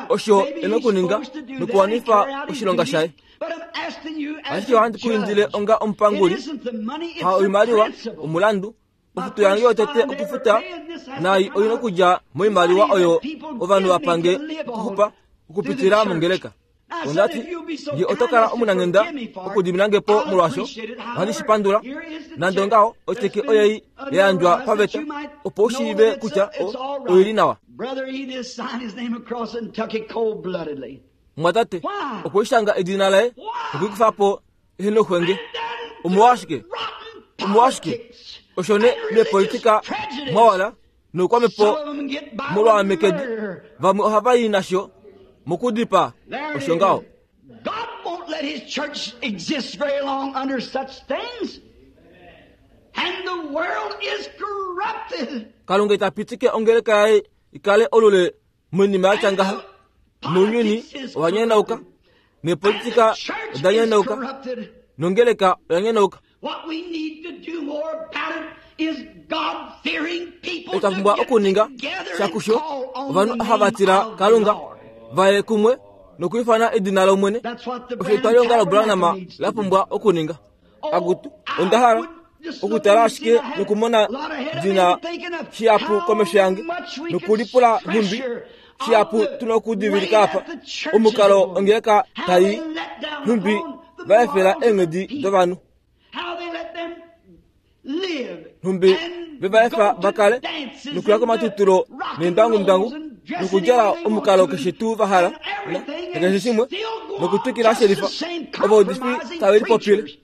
osho ena okuninga nokuwanifa oshilonga shaye. Ashike ohandi ku indile onga omupanguli, ha oimaliwa omulandu ofuto yange yotete okufuta nai oyina okudja moimaliwa oyo ovanhu vapange okuxupa okupitila mongeleka. Ondati nge oto kala omunanghenda okudiminange po molwasho ohandi shi pandula. Nande ongaho otyeke oyei ya yandjwa paveta opo u shiive kutya oili nawa. Mwatate okwe shanga edina laye nokuikufa po ehe noxwenge. Omolwashike? Omolwashike? Osho ne mepolitika mwawala noukwamepo molwaamekedi vamwe ohava i nasho mokudipaa. Osho ngaho. God won't let his church exist very long under such things. And the world is corrupted. Kalunga ita pitike ongeleka yaye ikale olule moinima ya tya ngaha. Nounyuni owa nyanauka, neepolitika oda nyanauka, nongeleka oya nyanauka. What we need to do more about it is God-fearing people Otwa to pumbwa get okuninga together and shakusho call on ovanhu the hava name tila of the Kalunga Lord. vaye kumwe nokuifana edina lOmwene. That's what the Osho Branham etwalihongalo Branham Tabernacle needs to la do. pumbwa okuninga. Oh, Akutu, I onda hala would just look okutala and see ashike I had nokumona a lot ahead of me dina and thinking of shihapu how komesho yange much we could nokulipula nhumbi pressure shihapu on the tuna okudivilika way apa that the churches omukalo are going. ongeleka How tai they let down nhumbi upon the vaefela morals of the eenghedi people. dovanhu How they let them live nhumbi and vevaefa go to vakale dances nokuya and the komatutulo rock and neendangumdangu rolls and dressing nokudjala any way they omukalo want to keshe tuu vahala and everything nakeshe and shimwe still go on nokutwikila just the shelifa same ovaudifi compromising tave lipopile. preachers.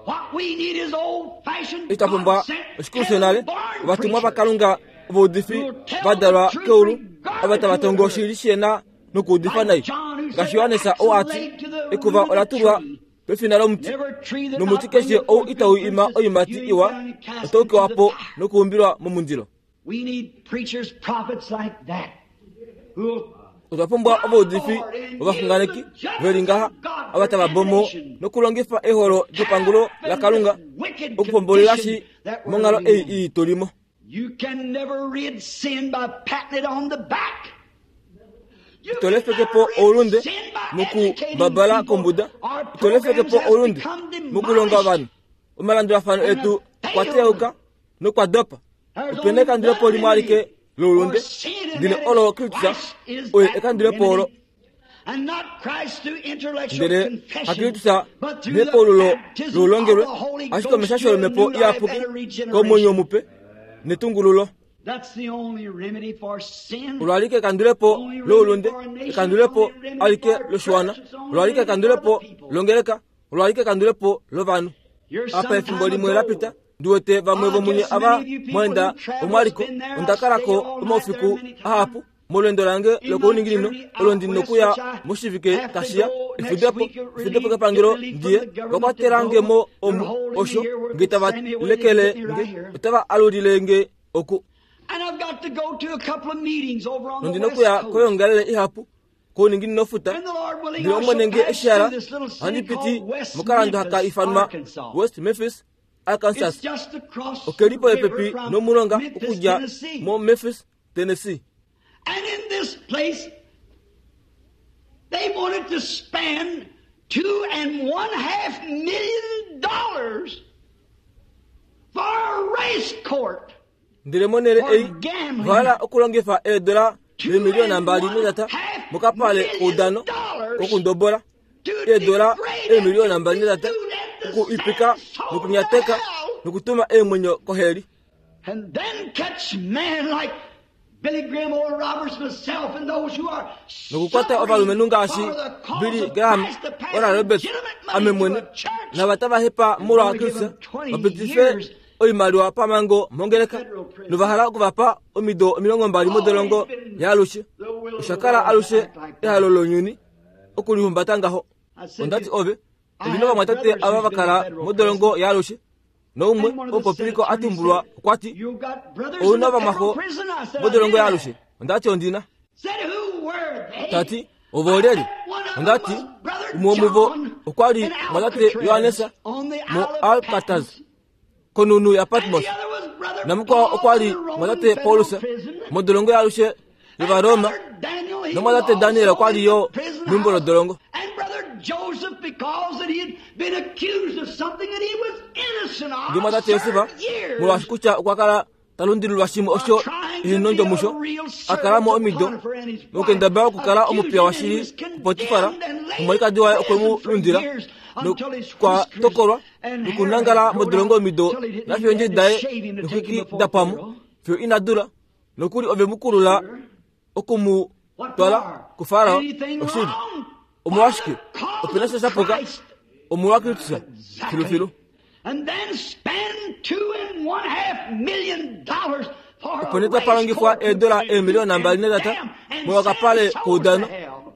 What we need is old-fashioned Otwa pumbwa God-sent, oshikulu shonale heaven-born ovatumwa preachers vakalunga ovaudifi vadalwa keulu ava tava tongo oshili shena nokuudifa nai. Ngaashi Johannes oo ati ekuva ola tulwa pefina lomuti Every tree that nomuti not keshe bringeth ou forth itau good ima fruit is oiimati hewn iwa down and cast otau into kewa the po fire. nokuumbilwa momundilo. We need preachers, prophets like that, who Otwa pumbwa ovaudifi ovaxunganeki veli ngaha ava tava bomo nokulongifa eholo lyepangulo laKalunga okupombolela shi monghalo ei ii tulimo. You can never rid sin by patting it on the back. You Ito lefeke can po never rid oulunde sin by moku educating babala people. kombuda. Our Ito lefeke programs po has oulunde become mokulonga ovanhu. demolished. Omalandulafano etu okwa teyauka nokwa dopa. There's Opena only ekandulepo one limwe alike remedy loulunde for sin, and ndele that olo is Kristus Christ is oye that ekandulepo olo. remedy. And not Christ through intellectual Ndele confession, hakristus but through the nepaululo baptism of loulongelwe the Holy ashike Ghost omeshasho to a lomepo new life iyapuki and a regeneration. komwenyo mupe netungululo. That's the only remedy for sin. Olo alike ekandulepo loulunde, ekandulepo alike loshiwana, olo alike ekandulepo longeleka, olo alike ekandulepo lovanhu. Here Apa some efimbo time limwe la ago, pita ndiwete vamwe vomunye ava mwenda omwaliko onda kalako omaufiku ahapu molwendo lange lokuuninginino olo ndi nokuya moshivike tashiya efudepo efudepo kepangelo ndiye vakwatelangemo omu osho nge tava lekele nge otava alulile nge oku And I've got to go to a couple of meetings over on the nondi West nokuya Coast. koyongalele ihapu kouninginino futa And the Lord willing, ndele I Omwene shall nge pass eshihala through this little city ohandi piti called West mokalando haka Memphis, ifanwa Arkansas. West Memphis, Arkansas. It's just across the Okeli river popepi from nomulonga Memphis, okudja Tennessee. mo Memphis, Tennessee. And in this place, they wanted to spend two and one half million dollars for a race court. Ndele monhele For ei gambling. vahala okulongifa eedola Two eemiliyona and mbali one netata half mokapale million koudano dollars kokundobola to eedola degrade eemiliyona and mbali netata to do that to okuipika send souls nokunyateka to hell. nokutuma eemwenyo koheli. And then catch men like Billy Graham, Oral Roberts, myself, and those who are nokukwata ovalumenhu ngaashi suffering for the cause Billy of Graham, Christ to pass Oral Roberts, legitimate money ame to mwene a church. nava tava hepa molwa And only give Kristus them twenty vapitife years oimaliwa pamango mongeleka novahala okuvapa omido omilongo mbali modolongo yaalushe. Oshakala alushe ehalo lounyuni okulihumbata ngaho. Ondati ove ondina ovamwatate ava vakala modolongo yaalushe noumwe omupopiliko atumbulwa okwati You got brothers in ouna the ovamwaxo federal prison. I said, I modolongo did yaalushe. Ondati ondina Said who were they? tati ovo olyelye? One of them Ondati was Brother umwe womuvo John okwali in mwatate Alcatraz Yohanesa on the mo Isle of Alcatraz Patmos. konunu ya And Patmos the other was Brother Namukwao okwa li mwatate Paulus modolongo yaalushe yovaroma, nomwatate Daniel okwa li yo meumbo lodolongo. Ndele mwatate Josef, molwaashi kutya okwa kala ta lundililwa shimwe osho ehinondjo musho, a kala mo omido mokendabala okukala omupiya washili kuPotifar, nomwalikadi waye okwe mu lundila nokwa tokolwa nokunangala modolongo omido nafiyo eendjedi daye noxwiki da pwamo fiyo ina dula, nokuli ove mu kulula oku mu twala kuFarao. Oshili omolwashike opena sha shapuka omolwa Kristus filufilu. Opo nee tapa longifwa eedola eemiliyona mbali netata molwokapale koudano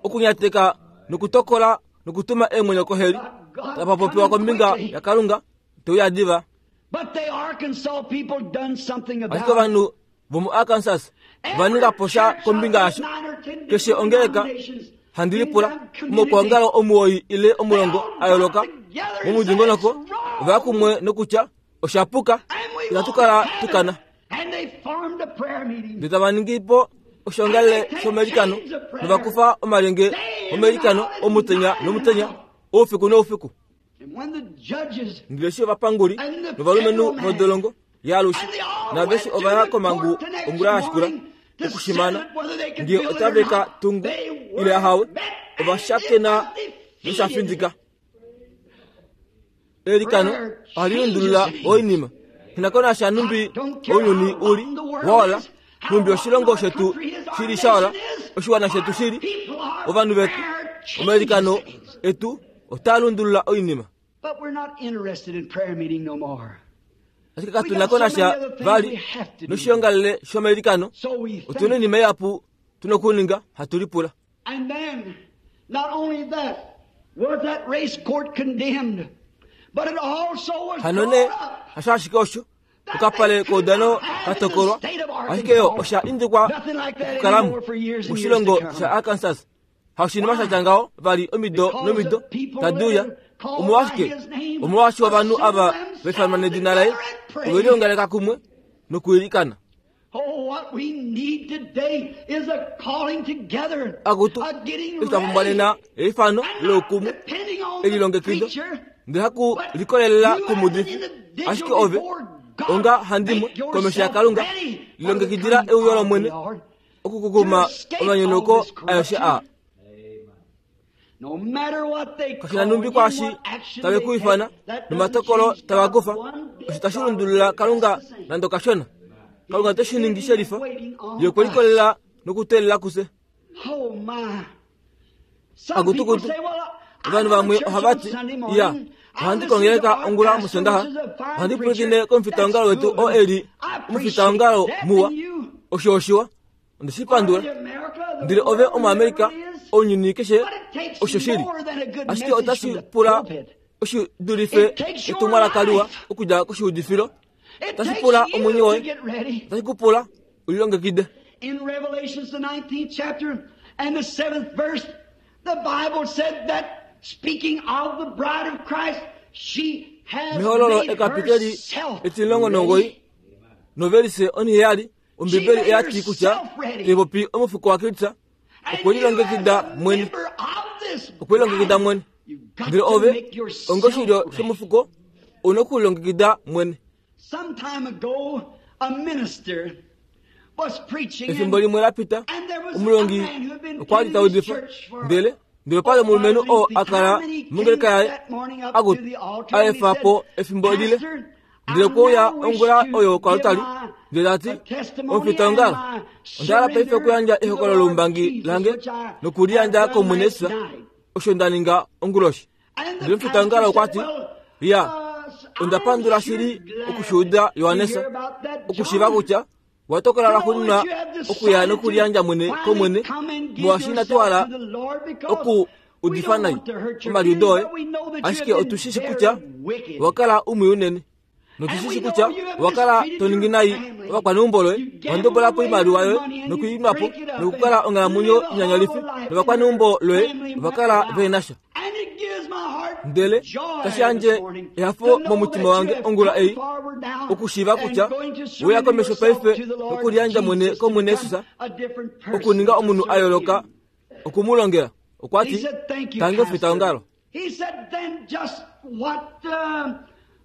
okunyateka nokutokola nokutuma eemwenyo koheli. Tapa popiwa kombinga yaKalunga teuya diva. Ashike ovanhu vomuArkansas va ninga po sha kombinga yasho. Keshe ongeleka handi lipula omaukwaongalo omuwoi ile omulongo a yooloka momudingonoko ova kumwe nokutya osha puka, inatu kala tukana. Ndele tava ningi po oshoongalele shomailikano novakufa omalyenge omailikano omutenya nomutenya, oufiku noufiku. Ndele eshi ovapanguli novalumenhu vodolongo yaalushe naaveshe ova ya komangu ongula ya shikula okushimana ngee otave ka tungu ile ahawe, ova shakena nosha findika. Eilikano ohali lundulula oinima. Nghi numbi ounyuni uli waola, numbi oshilongo shetu shili shaola, oshiwana shetu shili, ovanhu vetu, omailikano etu otaa lundulula oinima. Ashike katu na ko nasha vali noshiongalele shomailikano. Otuna oinima ihapu tuna okuninga hatu lipula. Hano nee hasho ashike osho okapale koudano katokolwa, ashike yo osha indikwa okukalamo moshilongo shaArkansas. Haushinima sha tya ngaho vali omido nomido tadi uya. Omolwashike? Omolwaashi ovanhu ava vaifanwa nedina laye ove liongaleka kumwe nokuilikana. Akutu, eshi twa pumbwa nena eifano loukumwe, elilongekido, ndele haku likolelela kumuudifi, ashike ove onga handimwe komesho yaKalunga, lilongekidila euyo lOmwene okukukuma omanyonauko aeshe aa. Kashina numbi kwaashi tave ku ifana nomatokolo tava kufa, osho tashi lundulula Kalunga nande okashona. Kalunga ote shi ningi shelifa, ye okwe likolelela nokuteelela kufye. Akutukutu, ovanhu vamwe ohava ti, iya, ohandi kongeleka ongula mOsondaxa, ohandi pwilikine komufitaongalo wetu oo e li omufitaongalo muwa. Osho oshiwa, onde shi pandula. Ndele ove Omuamerika, ounyuni keshe osho shili. Ashike otashi pula oshi dulife etumwalaka liwa okudja koshiudifilo. Otashi pula omwenyo woye, otashi ku pula ulilongekide. In Revelations the nineteenth chapter and the seventh verse, the Bible said that speaking of the bride of Christ, she has Mehololo made ekapiteli herself etilongo nongoyi ready. novelise oniheyali Ombibeli oya ti kutya taipopi omufuko waKristus And okwe you as lilongekida a mwene, member of this okwe lilongekida bride, mwene. you've got Ndele to ove make yourself onga oshilyo ready. shomufuko una okulilongekida mwene. Some time ago, a minister was preaching Efimbo and, limwe la pita and there was a omulongi man who had been okwa li attending ta his udifa, church for ndele ndele pali omulumenhu oo a kala mongeleka yaye aku a efa po efimbo lile, ndele okwe uya ongula oyo koaltari, ndele ta ti, omufitaongalo, onda hala paife okuyandja ehokololo loumbangi lange nokuliyandja kOmwene Jesus, osho nda ninga onguloshi. Ndele omufitaongalo okwa ti, iya, onda pandula shili okushuuda Johannes, okushiiva kutya wa tokola lwaxuuninwa okuya nokuliyandja mwene kOmwene, molwaashi inatu hala oku udifa nai omaliudo oye, ashike otu shi shi kutya owa kala umwe unene, notu shi shi kutya owa kala to ningi nai ovakwaneumbo loye, wa ndobola po oimaliwa yoye nokuinwa po nokukala onghalamwenyo inyanyalifi, novakwaneumbo loye ova kala vehe na sha. Ndele tashi yandje ehafo momutima wange ongula ei okushiiva kutya weya komesho paife nokuliyandja mwene kOmwene Jesus okuninga omunhu a yooloka okumulongela. Okwa ti, tangi omufitaongalo. He said, then just what, um,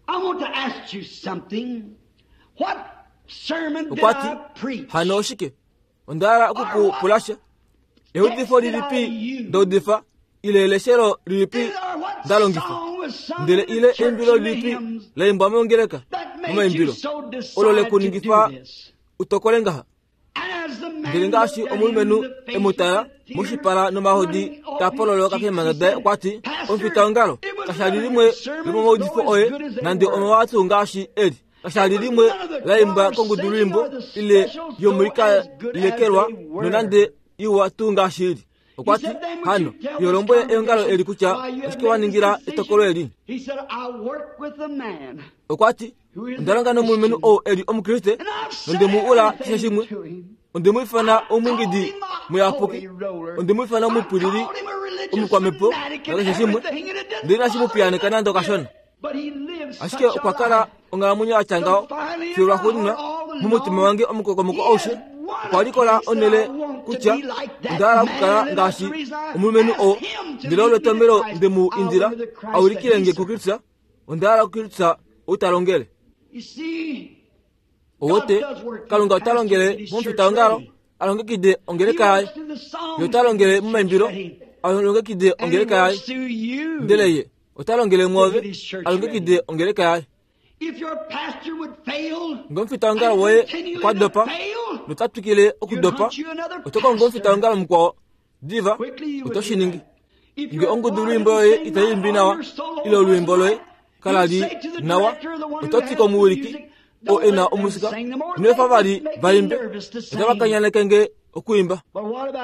I want to ask you something. What sermon did Okwa ti, I preach? hano oshike? Onda hala oku ku pula sha. Eudifo lilipi nda udifa, ile eleshelo lilipi nda longifa? Ndele ile eimbilo lilipi la imbwa mongeleka momaimbilo olo le ku ningifa utokole ngaha? Ndele ngaashi omulumenhu e mu tala moshipala nomahodi taa pololoka keemhanga daye, okwa ti, omufitaongalo kasha li limwe lomomaudifo oye nande omawa tuu ngaashi eli. Kasha li limwe la imbwa kongudulwiimbo ile yomoikalekelwa nonande iwa tuu ngaashi ili. Okwa ti, hano yo lombwele eongalo eli kutya oshike wa ningila etokolo eli. Okwa ti, onda longa nomulumenhu ou eli omukriste nonde mu ula keshe shimwe. Onde mu ifana omwingidi muyapuki, onde mu ifana omupwilili omukwamhepo nakeshe shimwe, ndele inashi mu piyaaneka nande okashona. Ashike okwa kala onghalamwenyo ya tya ngaho fiyo lwaxuuninwa momutima wange omukokomoko aushe okwa likola onhele kutya onda hala okukala ngaashi omulumenhu oo. Ndele olo etomhelo nde mu indila a ulikile nge kuKristus. Onda hala kuKristus ou ta longele. Owote Kalunga ota longele momufitaongalo a longekide ongeleka yaye, ye ota longele momaimbilo a longekide ongeleka yaye, ndele ye ota longele mwoove a longekide ongeleka yaye. Ngee omufitaongalo woye okwa dopa nota twikile okudopa, oto kongo omufitaongalo mukwao diva, oto shi ningi. Ngee ongudulwiimbo yoye itai imbi nawa ile olwiimbo loye kala li nawa, oto ti komuwiliki oo e na omusika, ino efa vali va imbe, otava kanyaneke nge okuimba.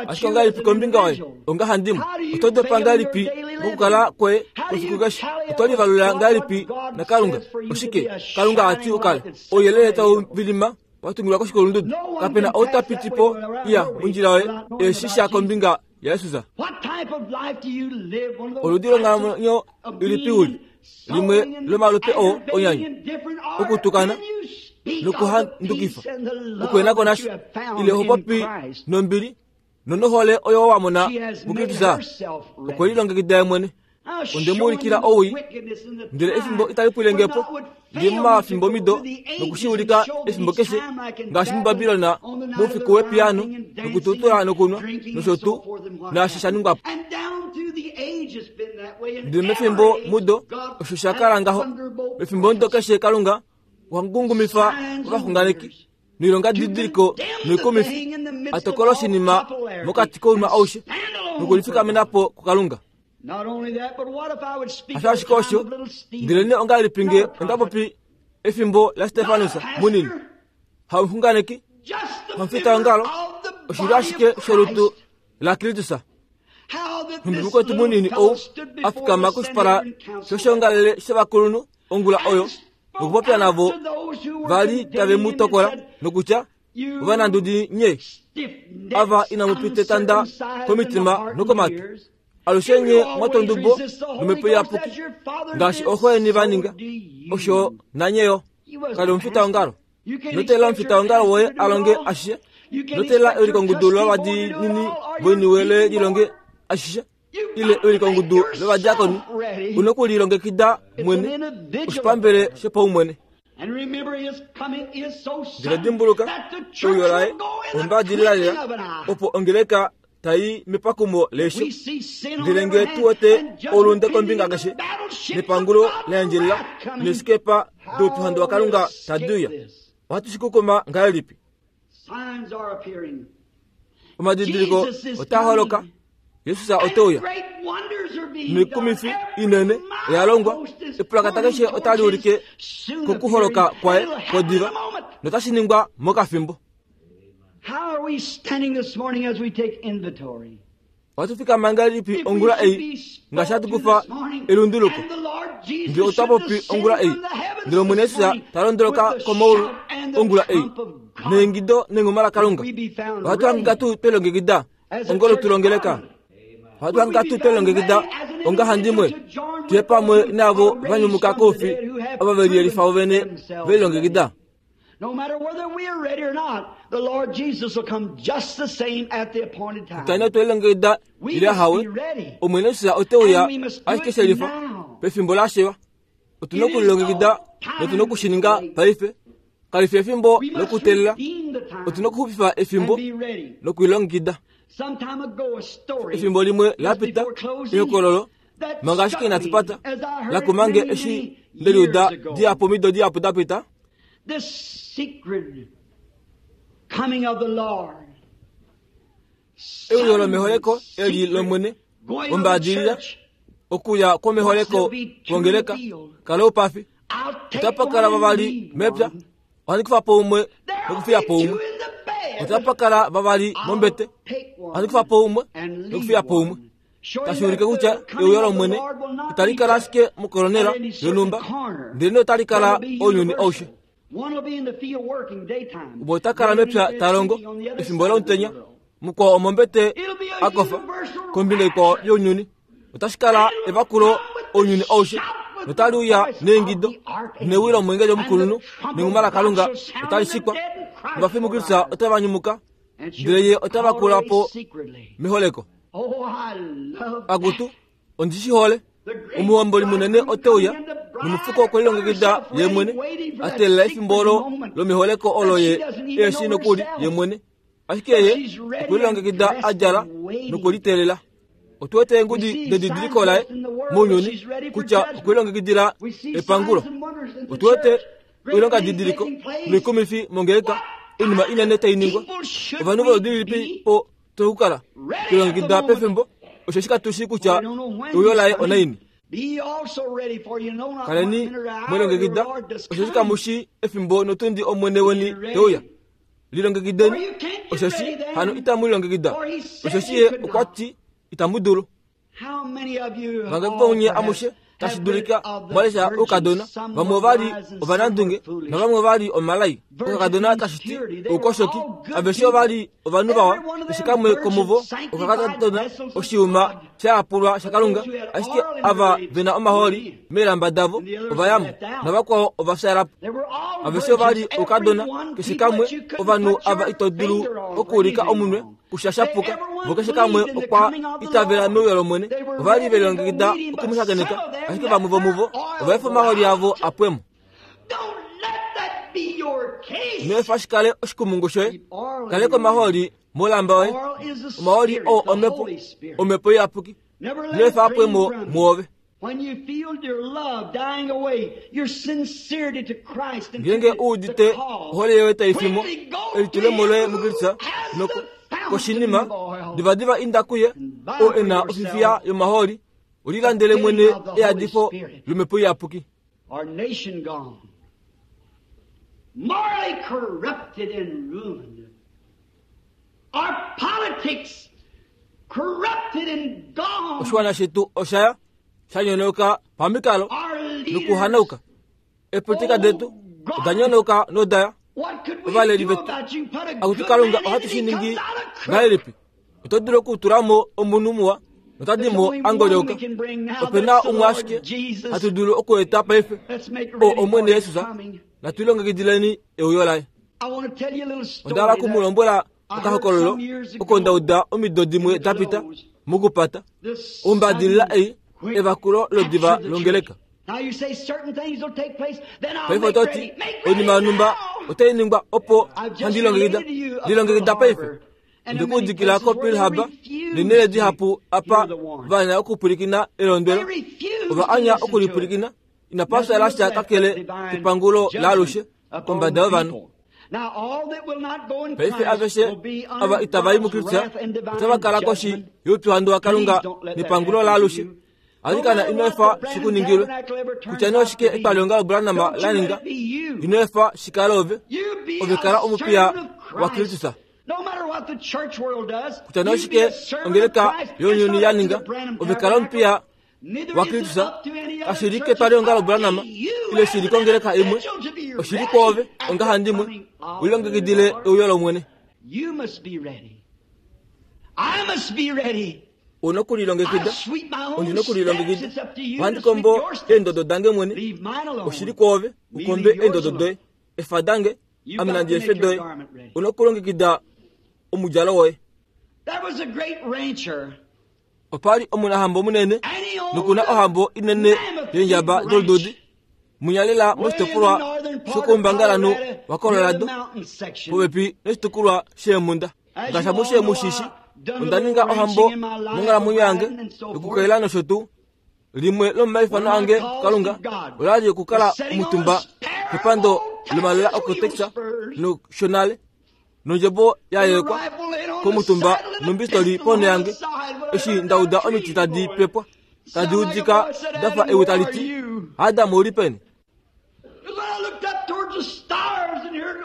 Ashike ongahelipi kombinga yoye ongahandimwe? Oto dopa ngahelipi mokukala kwoye kwefiku keshe? Oto livalula ngahelipi naKalunga? Oshike Kalunga a ti ukale? Ouyelele tau vilima wa tungilwa koshikulundudu. Kapena ou ta piti po iya mondjila yoye e shi sha kombinga yaJesus. Oludi longhalamwenyo ilipi uli? Limwe lomalupe oo onyanya, okutukana nokuhandukifa, okuhenako nasha, ile ho popi nombili nonohole oyo wa mona muKristus. Okwe lilongekida ye mwene. Onde mu ulikila owii, ndele efimbo itali pwile nge po. Ndi momafimbo mido nokushi ulika efimbo keshe, ngaashi muBabilon moufiku wepiyaano nokututula nokunwa nosho tuu, naashi sha ningwa po. Ndele mefimbo mudo osho sha kala ngaho. Mefimbo mudo keshe Kalunga okwa ngungumifa ovaxunganeki noilonga didiliko noikumifi, a tokola oshinima mokati kounwa aushe nokulifikamena po kuKalunga. Hasho ashike osho, ndelenee ongahelipi nge onda popi efimbo laStefanus munini, hamuxunganeki, hamufitaongalo, oshilyo ashike sholutu laKristus. Nhumbi mukwetu munini ou a fikama koshipala shoshiongalele shovakulunhu ongula oyo nokupopya navo vali tave mu tokola nokutya, ovanandudi nye, ava inamu pita etanda komitima nokomatu, alushe nye mwatwa ondubo nomhepo iyapuki ngaashi ooxo yeni va ninga, osho nanye yo. Kali omufitaongalo. Ino teelela omufitaongalo woye a longe ashishe. Ino teelela ewilikongudu lovadiinini voiniwe loye lilonge ashishe, ile ewilikongudu lovadiakoni. Una okulilongekida mwene, oshipambele shopaumwene. Ndele dimbuluka, euyo laye ombadilila lela, opo ongeleka tai mepakumo leisho. Ndele nge tu wete oulunde kombinga keshe, nepangulo la endjelela neesikepa doupyuhandu waKalunga tadi uya, ohatu shi kukuma ngahelipi? Omadidiliko otaa holoka. Jesus ote uya. Noikumifi inene oya longwa. Epulakata keshe otali ulike kokuholoka kwaye kwodiva, notashi ningwa mokafimbo. Ohatu fikama ngahelipi ongula ei ngaashi hatu kufa elunduluko? Ndele otwa popi ongula ei, ndele Omwene Jesus ta londoloka komaulu ongula ei neingido nengoma laKalunga. Ohatu hangika tuu twelongekida ongolo tulongeleka? Ohatu hangika tuu twelongekida Ongahandimwe tuye pamwe navo vanyumuka koufi ava veliyelifa vovene velilongekida. No matter whether we are ready or not, the Lord Jesus will come just the same at the appointed time. Tane twelilongekida ile hawe Omwene Jesus oteuya ashike shelifa pefimbo lashiwa. Otuna okulilongekida notuna okushininga paife. Kalifi efimbo lokutelela, otuna okuxupifa efimbo lokulilongekida. Efimbo limwe lapita ehokololo manga ashike inatu pata lakumange eshi ndeliuda dihapu omido dihapu dapita. This secret coming of the Lord. Euyo lomeholeko eli lomwene ombaadilila okuya kwomeholeko kwongeleka kala oupafi. Otapakala vavali mepya, ohandi kufa po umwe nokufiya po umwe. Otapakala vavali mombete, ohandi kufa po umwe nokufiya po umwe. Tashi ulike kutya euyo lomwene itali kala ashike mokolonela yonhumba, ndele otali kala ounyuni aushe. Umwe ota kala mepya ta longo efimbo lomutenya, mukwao omombete akofa kombinga ikwao younyuni. Otashi kala evakulo ounyuni aushe, notali uya neengido newi lomwengeli omukulunhu nenghuma laKalunga otali shikwa. Ovafi muKristus otava nyumuka, ndele ye otava kula po meholeko. Akutu, ondi shi hole. Omuhomboli munene oteuya nomufuko okwelilongekida ye mwene, a teelela efimbo olo lomeholeko olo ye eshi nokuli ye mwene. Ashike ye okwelilongekida a djala nokuliteelela. Otu wete eengudi dedidiliko laye mounyuni kutya okwelilongekidila epangulo. Otu wete oilonga didiliko noikumifi mongeleka, oinima inene tai ningwa. Ovanhu voludi lilipi po tokukala twelilongekida pefimbo, osheshi katushi kutya euyo laye onaini. Kaleni mwelilongekida, osheshi kamushi efimbo notundi Omwene weni teuya. Lilongekideni, osheshi hano itamu lilongekida, osheshi ye okwa ti itamu dulu. Vangapi vomunye amushe tashi dulika mwalesha oukadona, vamwe ovali ovanandunge navamwe ovali omalai. Okakadona tashi ti oukoshoki, aveshe ovali ovanhu vawa, keshe kamwe komuvo okakadona oshiuma shayapulwa shaKalunga, ashike ava vena omahooli meelamba davo ovayamo, navakwao ovafyalapo. Aveshe ovali oukadona, keshe kamwe ovanhu ava ito dulu okuulika omunwe kusha shapuka, vo keshe kamwe okwa itavela meuyo lOmwene. Ovali velilongekida okumushakeneka, ashike vamwe vomuvo ovaefa omahooli avo apwemo. Ino efa shi kale oshikumungu shoye. Kaleka omahooli molamba yoye. Omahooli oo omhepo, omhepo iyapuki. Ino efa apwemo mwoove. Ngeenge u udite ohole yoye tai fimo, elitulemo loye muKristus noko koshinima, divadiva inda kuye oo e na ofifiya yomahooli, ulilandele mwene eyadifo lomhepo iyapuki. Our nation gone, morally corrupted and ruined. Our politics corrupted and gone. Oshiwana shetu oshaya shanyonoka pamikalo nokuhanauka. Eepolitika detu oda nyonoka nodaya. Ovaleli vetu akuti Kalunga ohatu shi ningi ngahelipi? Oto dulu okutula mo omunhu muwa notadi mo angolyoka. Ope na umwe ashike hatu dulu okueta paife, oo Omwene Jesus. Natu lilongekidileni euyo laye. Onda hala oku mu lombwela okahokololo oko nda uda omido dimwe dapita mokupata ombadilila ei evakulo lodiva longeleka. Paife oto ti oinima yonhumba otai ningwa opo handi lilongekida. Lilongekida paife. Ndikuudikila ko Pearl Harbor neenhele dihapu apa vaanya okupwilikina elondwelo. Ova anya okulipwilikina. Inapa fyala sha kakele kepangulo laalushe kombada yovanhu. Paife aveshe ava itava i muKristus otava kala koshi youpyuhandu waKalunga nepangulo laalushe. Alikana ino efa shikuningilwe. Kutya nee oshike etwalihongalo Branham la ninga, ino efa shikale ove. Ove kala omupiya waKristus. Kutya nee oshike ongeleka younyuni ya ninga, ove kala omupiya waKristus. Kashi li ketwalihongalo Branham ile shi li kongeleka imwe, oshi li kwoove ongahandimwe ulilongekidile euyo lOmwene. You must be ready. I must be ready. Una okulilongekida, ondina okulilongekida. Ohandi kombo eendodo dange mwene, oshili kwoove ukombe eendodo doye, efa dange ame nandi efe doye. Una okulongekida omudjalo woye. Opali omunahambo munene nokuna ohambo inene yeendjaba dolududi munyalela moshitopolwa shokoumbangalanhu waColorado popepi noshitukulwa sheemhunda. Ngaashi amushe mushishi, onda ninga ohambo monghalamwenyo yange yokukaila nosho tuu. Limwe lomomaifano ange kuKalunga olali okukala omutumba kepando lomalola okoTexas noshonale nondjebo ya yelekwa komutumba nombistoli ponho yange eshi ndauda omiti tadi pepwa tadi udika dafa ewi tali ti Adam ouli peni.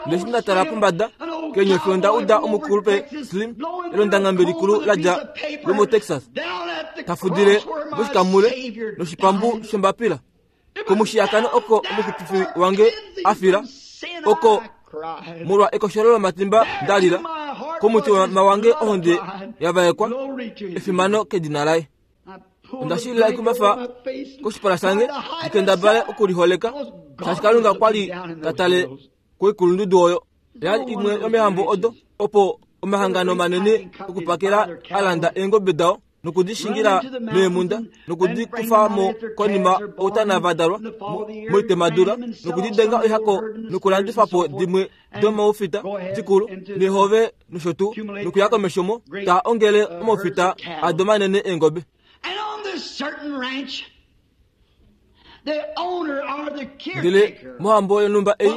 Ndeshi ndatala pombada keenyofi onda uda omukulupe Slim elondangambe likulu ladja lomoTexas tafudile moshikamule noshipambu shombapila komushiyakano oko omuxupifi wange afila oko molwa ekosholo lomatimba ndalila komutima wange ohonde yavaekwa efimano kedina laye. Onda shilila ekumbafa koshipala shange ndikendabale okuliholeka shaashi Kalunga kwali tatale koikulundudu oyo. Yali imwe yomehambo odo opo omahangano manene okupakela alanda eengobe dao nokudishingila meemunda nokudikufa mo konima outana vadalwa moitemadula nokudidenga oihako nokulandifa po dimwe domaufita dikulu nehove nosho tuu nokuya komesho mo taa ongele omaufita ado manene eengobe. Ndele mohambo yonhumba ei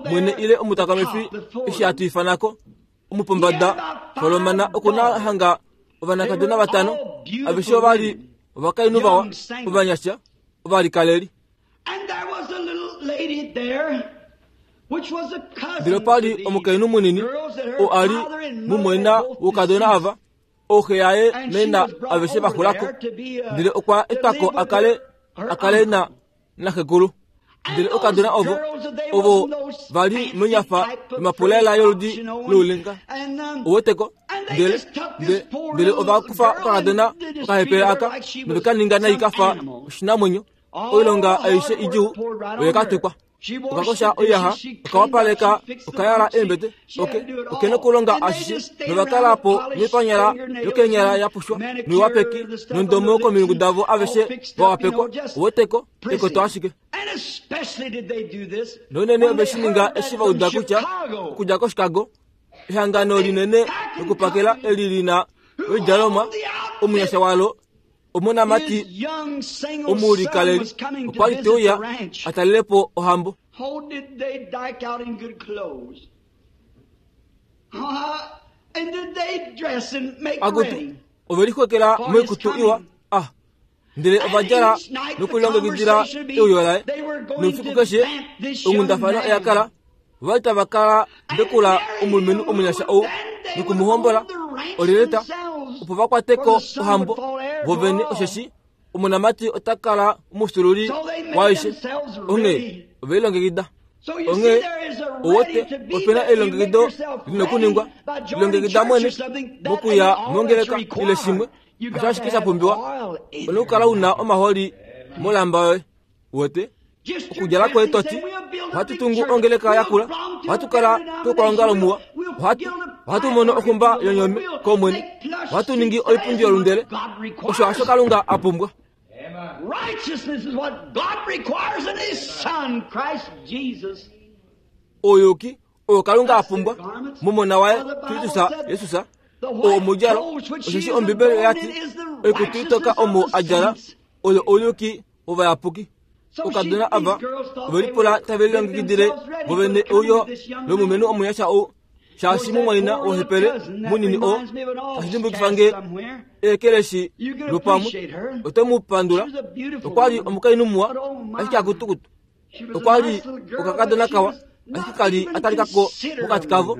mwene ile omutakamifi eshi hatu ifanako omupombada folomana okuna hanga ovanakadona vatano aveshe ovali ovakainhu vawa ovanyasha ovalikaleli. Ndele opali omukainhu munini oo ali mumwaina wokadona ava ooxe yaye naina aveshe vaxulako ndele okwa etwako akale akale na naxekulu. Ndele okadona ovo ovo vali monyafa yomapulaela yoludi loulenga oweteko ndele ndele ovakufa okakadona okahepele aka novekaninga nai kafa oshinamwenyo oilonga aishe idjuu oyekatukwa. Okakosha oiyaxa okawapaleka okayala eembete oke okena okulonga ashishe novakala po noipanyala yokeenyala yapushwa noiwapeki nondomo komilungu davo aveshe vawapekwa oweteko ekoto ashike. Nounene oveshininga eshi vauda kutya okudja koChicago ehangano linene lokupakela eli lina oidjalomwa omunyasha walo omonamati omulikaleli okwali teuya atalelepo ohambo. Akutu ovelixwekela moikutu iwa ah ndele ovadjala nokulilongekidila euyo laye. Noufiku keshe onghundafano oyakala ovali tava kala ndekula omulumenhu omunyasha ou nokumuhombola oleleta opo vakwateko ohambo vovene osheshi omonamati ota kala omufyuululi waaishe. Onghee ovelilongekida. Onghee owote opena elilongekido lina okuningwa lilongekida mwene mokuya mongeleka ile shimwe osho ashike sha pumbiwa ona okukala una omaholi molamba yoye. Wote okudjala kwoye toti ohatu tungu ongeleka yakula ohatu kala twokwaongalo muwa ohatu ohatu mono oxumba yonyome komwene ohatu ningi oipundi yolundele osho hasho Kalunga a pumbwa. Ouyuki oyo Kalunga a pumbwa momona waye Kristus Jesus oo omudjalo osheshi Ombibeli oyati oikutu itoka omo a djala oyo ouyuki wovayapuki. Okadona ava ovelipula tave lilongekidile vovene euyo lomulumenhu omunyasha ou shaashi mumwaina wohepele munini oo tashi dimbukifa nge eekeleshi lupamwe ote mu pandula. Okwali omukainhu muwa ashike akutukutu. Okwali okakadona kawa ashike kali atalikako mokati kavo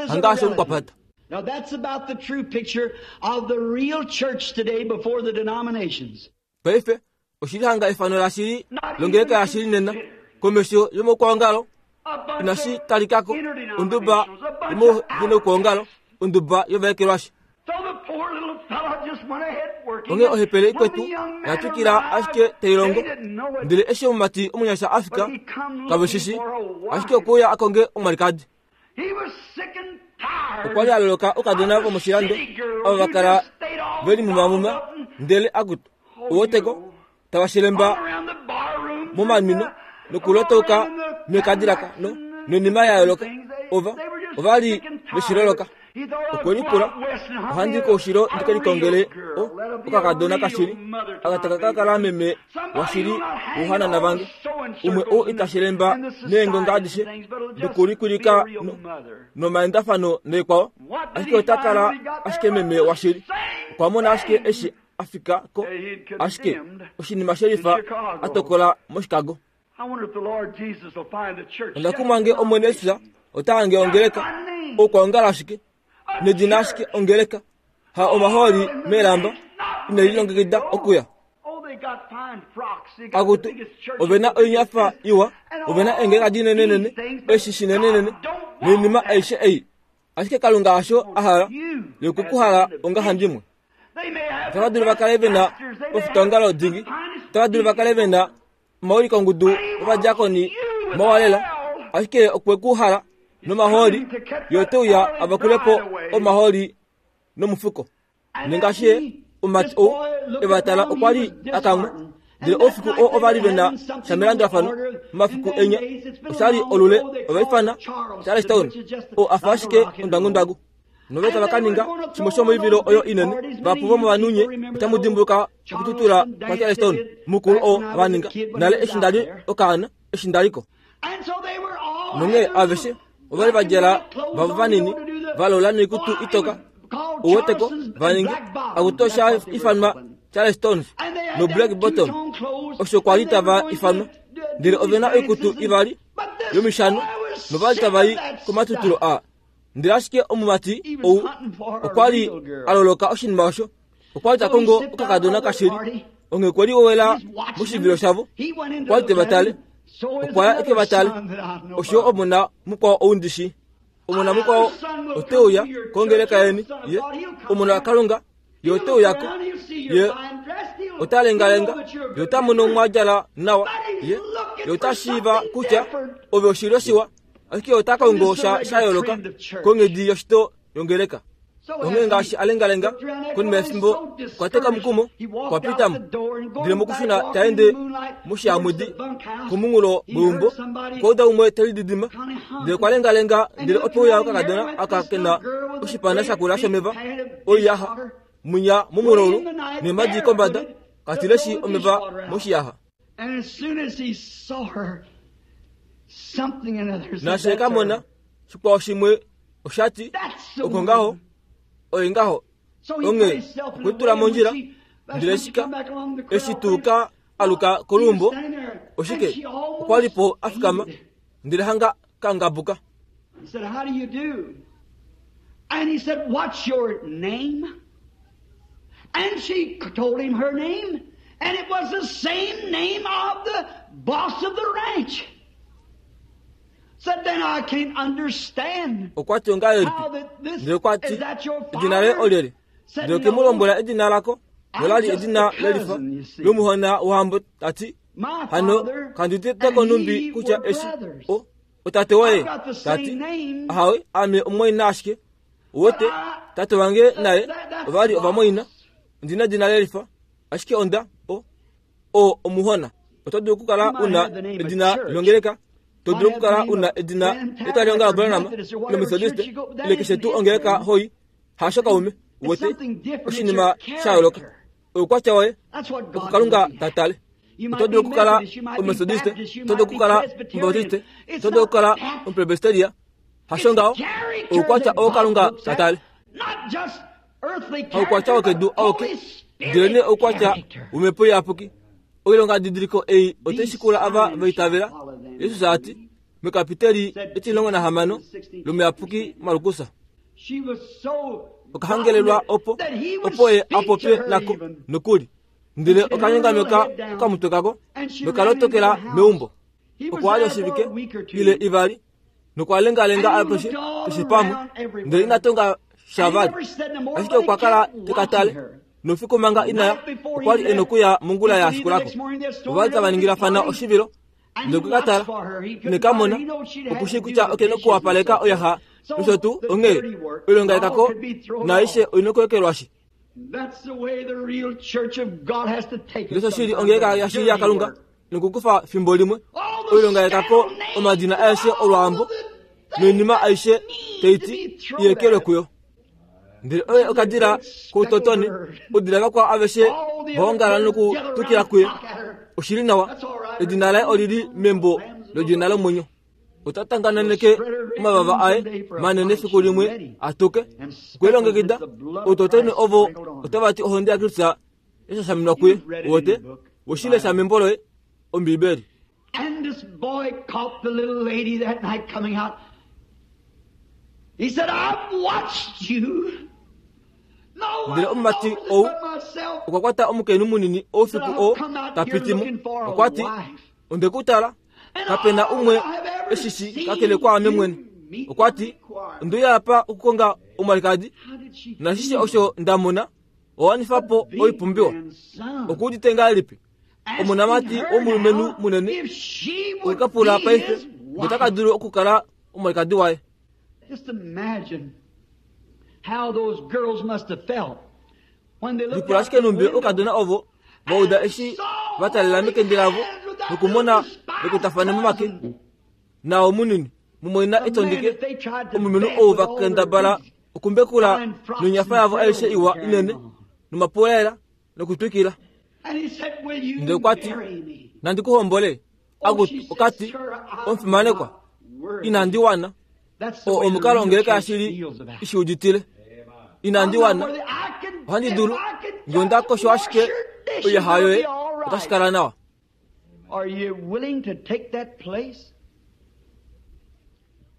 hangaashi omukwapata. Now that's about the true picture of the real church today before the denominations. Paife oshili hanga efano lashili longeleka yashili nena komesho yomokwaongalo inashi talikako onduba yomovinokwaongalo onduba yovaekelwashi. So the poor little fellow just went ahead working. Onghee ohepele ikwetu oya twikila ashike tai longo. Ndele eshi omumati omunyasha a fika, kave shi shii, ashike okwe uya a konge omwalikadi. Okwa li a loloka oukadona vomoshilando ava va kala ve limumamuma ndele akutu uweteko tava shelemba momanwino nokulotauka meekadilaka no noinima ya yooloka. Ova ova li veshiloloka. Okwe lipula, ohandi koushilo ndi ke likongele o okakadona kashili aka taka ka kala meme washili wouhanana vange, umwe ou ita shelemba neengonga adishe nokulikwilika nomaendafano naikwao, ashike ota kala ashike meme washili. Okwa mona ashike eshi a fika ko, ashike oshinima shelifa a tokola moChicago. Onda kumwa nge Omwene Jesus ota hange ongeleka oukwaongalo ashike nedina ashike ongeleka ha omahooli meelamba ine lilongekida okuya. Akutu ove na oinyafa iwa, ove na eengeleka dinenenene, eshi shinenenene noinima aishe ei, ashike Kalunga hasho a hala ye okwe ku hala ongahandimwe. Otava dulu va kale ve na ofitaongalo dingi, otava dulu va kale ve na omaulikongudu ovadiakoni mawa lela, ashike okwe ku hala nomahooli ye ote uya a vakulepo omahooli nomufuko. Nengaashi ye omumati ou e va tala okwa li a kamwa, ndele oufiku oo ova li ve na sha melandulafano momafiku enya osha li olule ova ifana Charlestown oo a fa ashike ondwangundwangu. Nove tava ka ninga shimwe shomoivilo oyo inene. Vahapu vomovanhu nye otamu dimbuluka okututula kwaCharleston mukulu oo va ninga nale eshi nda li okaana eshi nda li ko. Nonghee aveshe ova li va djala vavo vanini va lola noikutu itoka uweteko va ninga akutu osha ifanwa Charlestons no Black Bottom osho kwa li tava ifanwa, ndele ove na oikutu ivali yomishano nova li tava i komatutulo a. Ndele ashike omumati ou okwa li a loloka oshinima osho, okwa li ta kongo okakadona kashili. Onghee okwe liwowela moshivilo shavo, okwa li te va tale, okwa ya e ke va tale. Osho omona mukwao ou ndi shii. Omona mukwao ote uya kongeleka yeni, ye omona waKalunga, ye ote uyako, ye ota lengalenga, ye ota mono mwa djala nawa, ye ye ota shiiva kutya ove oshilyo shiwa, ashike ota kongo sha sha yooloka konghedi yoshito yongeleka. Onghee ngaashi a lengalenga konima yefimbo okwa teka omukumo, okwa pita mo. Ndele mokushuna ta ende moshihamwidi komunghulo weumbo, okwa uda umwe te lididima, ndele okwa lengalenga ndele ope uya okakadona aka ke na oshipana shakula shomeva oiyaxa mwinya momulaulu neemadi kombada, ka tileshi omeva moshiyaxa. Naashi e ka mona, shikwao shimwe osha ti, oko ngaho, oye ngaho. Onghee okwe tula mondjila, ndele shika eshi tuu ka aluka koluumbo, oshike okwa li po a fikama, ndele hanga ka ngabuka. He said, "How do you do?" And he said, "What's your name?" And she told him her name, and it was the same name of the boss of the ranch. Said, "Then I can't understand Okwa ti ongahelipi? how that this Ndele okwa ti, is that your edina laye father?" olyelye? Said, Ndele okwe mu "No, lombwela edina lako, nola li I'm just edina a lelifa cousin, you see. lomuhona wohambo, ta ti, My hano father kandi uditeko and numbi he kutya were eshi brothers. o otate woye I've got the ta ti same name. ahawe ame omumwaina ashike uwete tate wange naye ova li ovamwaina ondina edina lelifa ashike onda o o omuhona. Oto dulu okukala una edina longeleka, to dulu okukala una edina letwalihongalo Branham loMethodist ile keshe tuu ongeleka hoi, hasho kaume uwete oshinima sha yooloka oukwatya woye That's what oko God's Kalunga looking ta at. tale. You Oto might dulu be okukala Methodist, you might be oMethodist, Baptist, you oto dulu might be okukala Presbyterian. oMubaptiste, It's oto dulu not okukala that. omupresbyteria, hasho It's ngaho character oukwatya that oo God Kalunga looks ta at, tale. not just earthly Haukwatya character, wokedu but auke, Holy ndelenee Spirit oukwatya character. womhepo iyapuki. Oilonga didiliko ei otai shikula ava va itavela, Jesus a ti mekapiteli etimulongo nahamano lomuyapuki Markus. She was so Okahangelelwa opo that he would opo ye speak a to popye her nako even. nokuli, ndele okanyongameka okamutwe kako nokalotokela meumbo. He was Okwa li there for oshivike a week or two. ile ivali nokwa lengalenga apeshe keshe pamwe, ndele ina tonga sha And he vali, never said no more, ashike but he okwa kala kept te ka tale watching her. Noufiku manga inaya okwa li e nokuya mongula ya shikulako. Ova li tava ningilafana oshivilo ndele okwe ka tala neka mona okushii kutya oke nokuwapaleka oyaxa nosho tuu onghee oilonga yekako naaishe oi nokuekelwashi. Ndele osho shili ongeleka yashili yaKalunga nokukufa fimbo limwe oilonga yekako omadina aeshe olwaambo noinima aishe taiti iekelwe kuyo. Ndele oye okadila koutotoni odila vakwao aveshe vaongala nokutukila kuye. Oshili nawa edina laye olili membo lodina lomwenyo. Ota tangananeke omavava aye manene fiku limwe atuke okwelongekida outotoni ovo otava ti ohonde yaKristus yashashaminwa kuye. Wote woshilesha membo loye Ombibeli. And this boy caught the little lady that night coming out. He said, I've watched you. Ndele omumati ou okwa kwata omukainhu munini oufiku oo ta piti mo. Okwa ti, onde ku tala, kapena umwe eshishi kakele kwaame mwene. Okwa ti, onde uya apa okukonga omwalikadi, nashishe osho nda mona, owa wanifa po oipumbiwa. Okuudite ngahelipi? Omonamati womulumenhu munene okwe ka pula paife ngee ota dulu okukala omwalikadi waye. Lipula ashike numbi oukadona ovo va uda eshi va talela mekende lavo nokumona vekwatafane momake. Nao munini mumwaina etondike omulumenhu ou va kendabala okumbekula nonyafa yavo aishe iwa inene nomapulaela nokutwikila. Ndele okwa ti, nandi ku hombole. Akutu okati, omufimanekwa, inandi wana. Oo omukalo ongeleka yashili ishiuditile. Inandi wana. Ohandi dulu ngee onda kosho ashike oiyaxa yoye otashi kala nawa.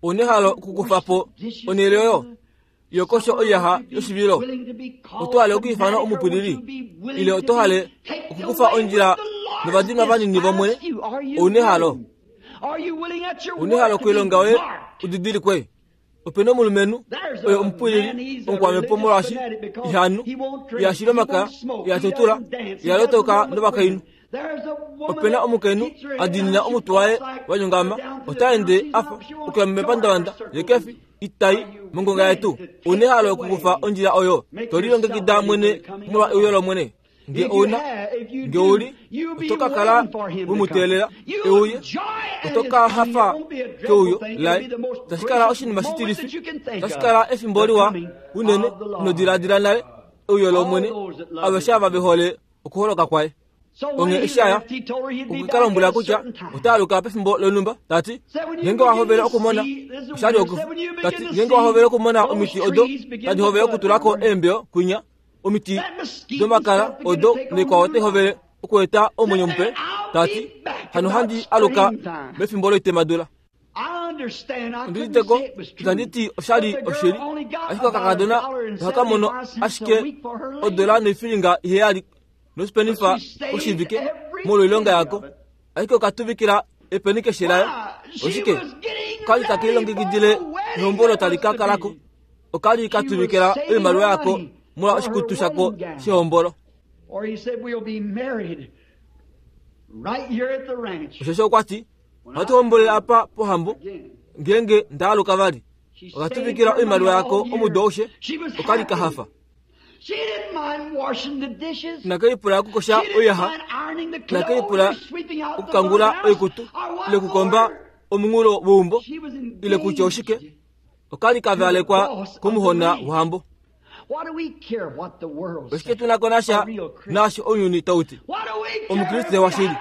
Ouna ehalo okukufa po onhele oyo yokosho oiyaxa yoshivilo? Oto hale okwiifanwa omupwilili ile oto hale okukufa ondjila novadinwa vanini vOmwene? Ouna ehalo? Ouna ehalo koilonga yoye udidilikwe? Opena omulumenhu oye omupwilili omukwamhepo molwaashi ihanu, ihashili omakaya, ihatutula, ihalotoka novakainhu. Opena omukainhu a diinina omutwe waye wa nyongama, ota ende afa okuya mepandavanda yekefi itai mongonga yetu. Ouna ehalo okukufa ondjila oyo to lilongekida mwene molwa euyo lOmwene? Ngee ouna, ngee ouli, oto ka kala we mu teelela euye, oto ka hafa keuyo laye. Otashi kala oshinima shitilifi, otashi kala efimbo liwa unene ino diladila nale euyo lOmwene, aveshe ava ve hole okuholoka kwaye. Onghee eshi aya, okwe ka lombwela kutya ota aluka pefimbo lonhumba, tati ngeenge wa hovele okumona oshali okufu, tati ngeenge wa hovele okumona omiti odo tadi hovele okutulako eembeo kwinya, omiti domakala odo noikwao otai hovele okueta omwenyo mupe, tati hano handi aluka mefimbo loitemadula. Ondiuditeko itandi ti oshali oshili, ashike okakadona ohaka mono ashike odola noifilinga iheyali nosipenifa oshivike molwoilonga yako, ashike okatuvikila epeni keshe layo. Oshike? Okali take lilongekidile ehombolo tali ka kalako. Okali ka tuvikila oimaliwa yako molwa oshikutu shako shehombolo. Osheshi okwa ti, ohatu hombolele apa pohambo ngeenge nda aluka vali. Okatuvikila oimaliwa yako omudo aushe. Okali ka hafa. Inake lipula okukosha oiyaxa, inake lipula okukangula oikutu ile okukomba omunghulo weumbo ile kutya oshike. Okali ka valekwa komuhona wohambo. Oshike tu na ko nasha naashi ounyuni tau ti? Omukriste washili.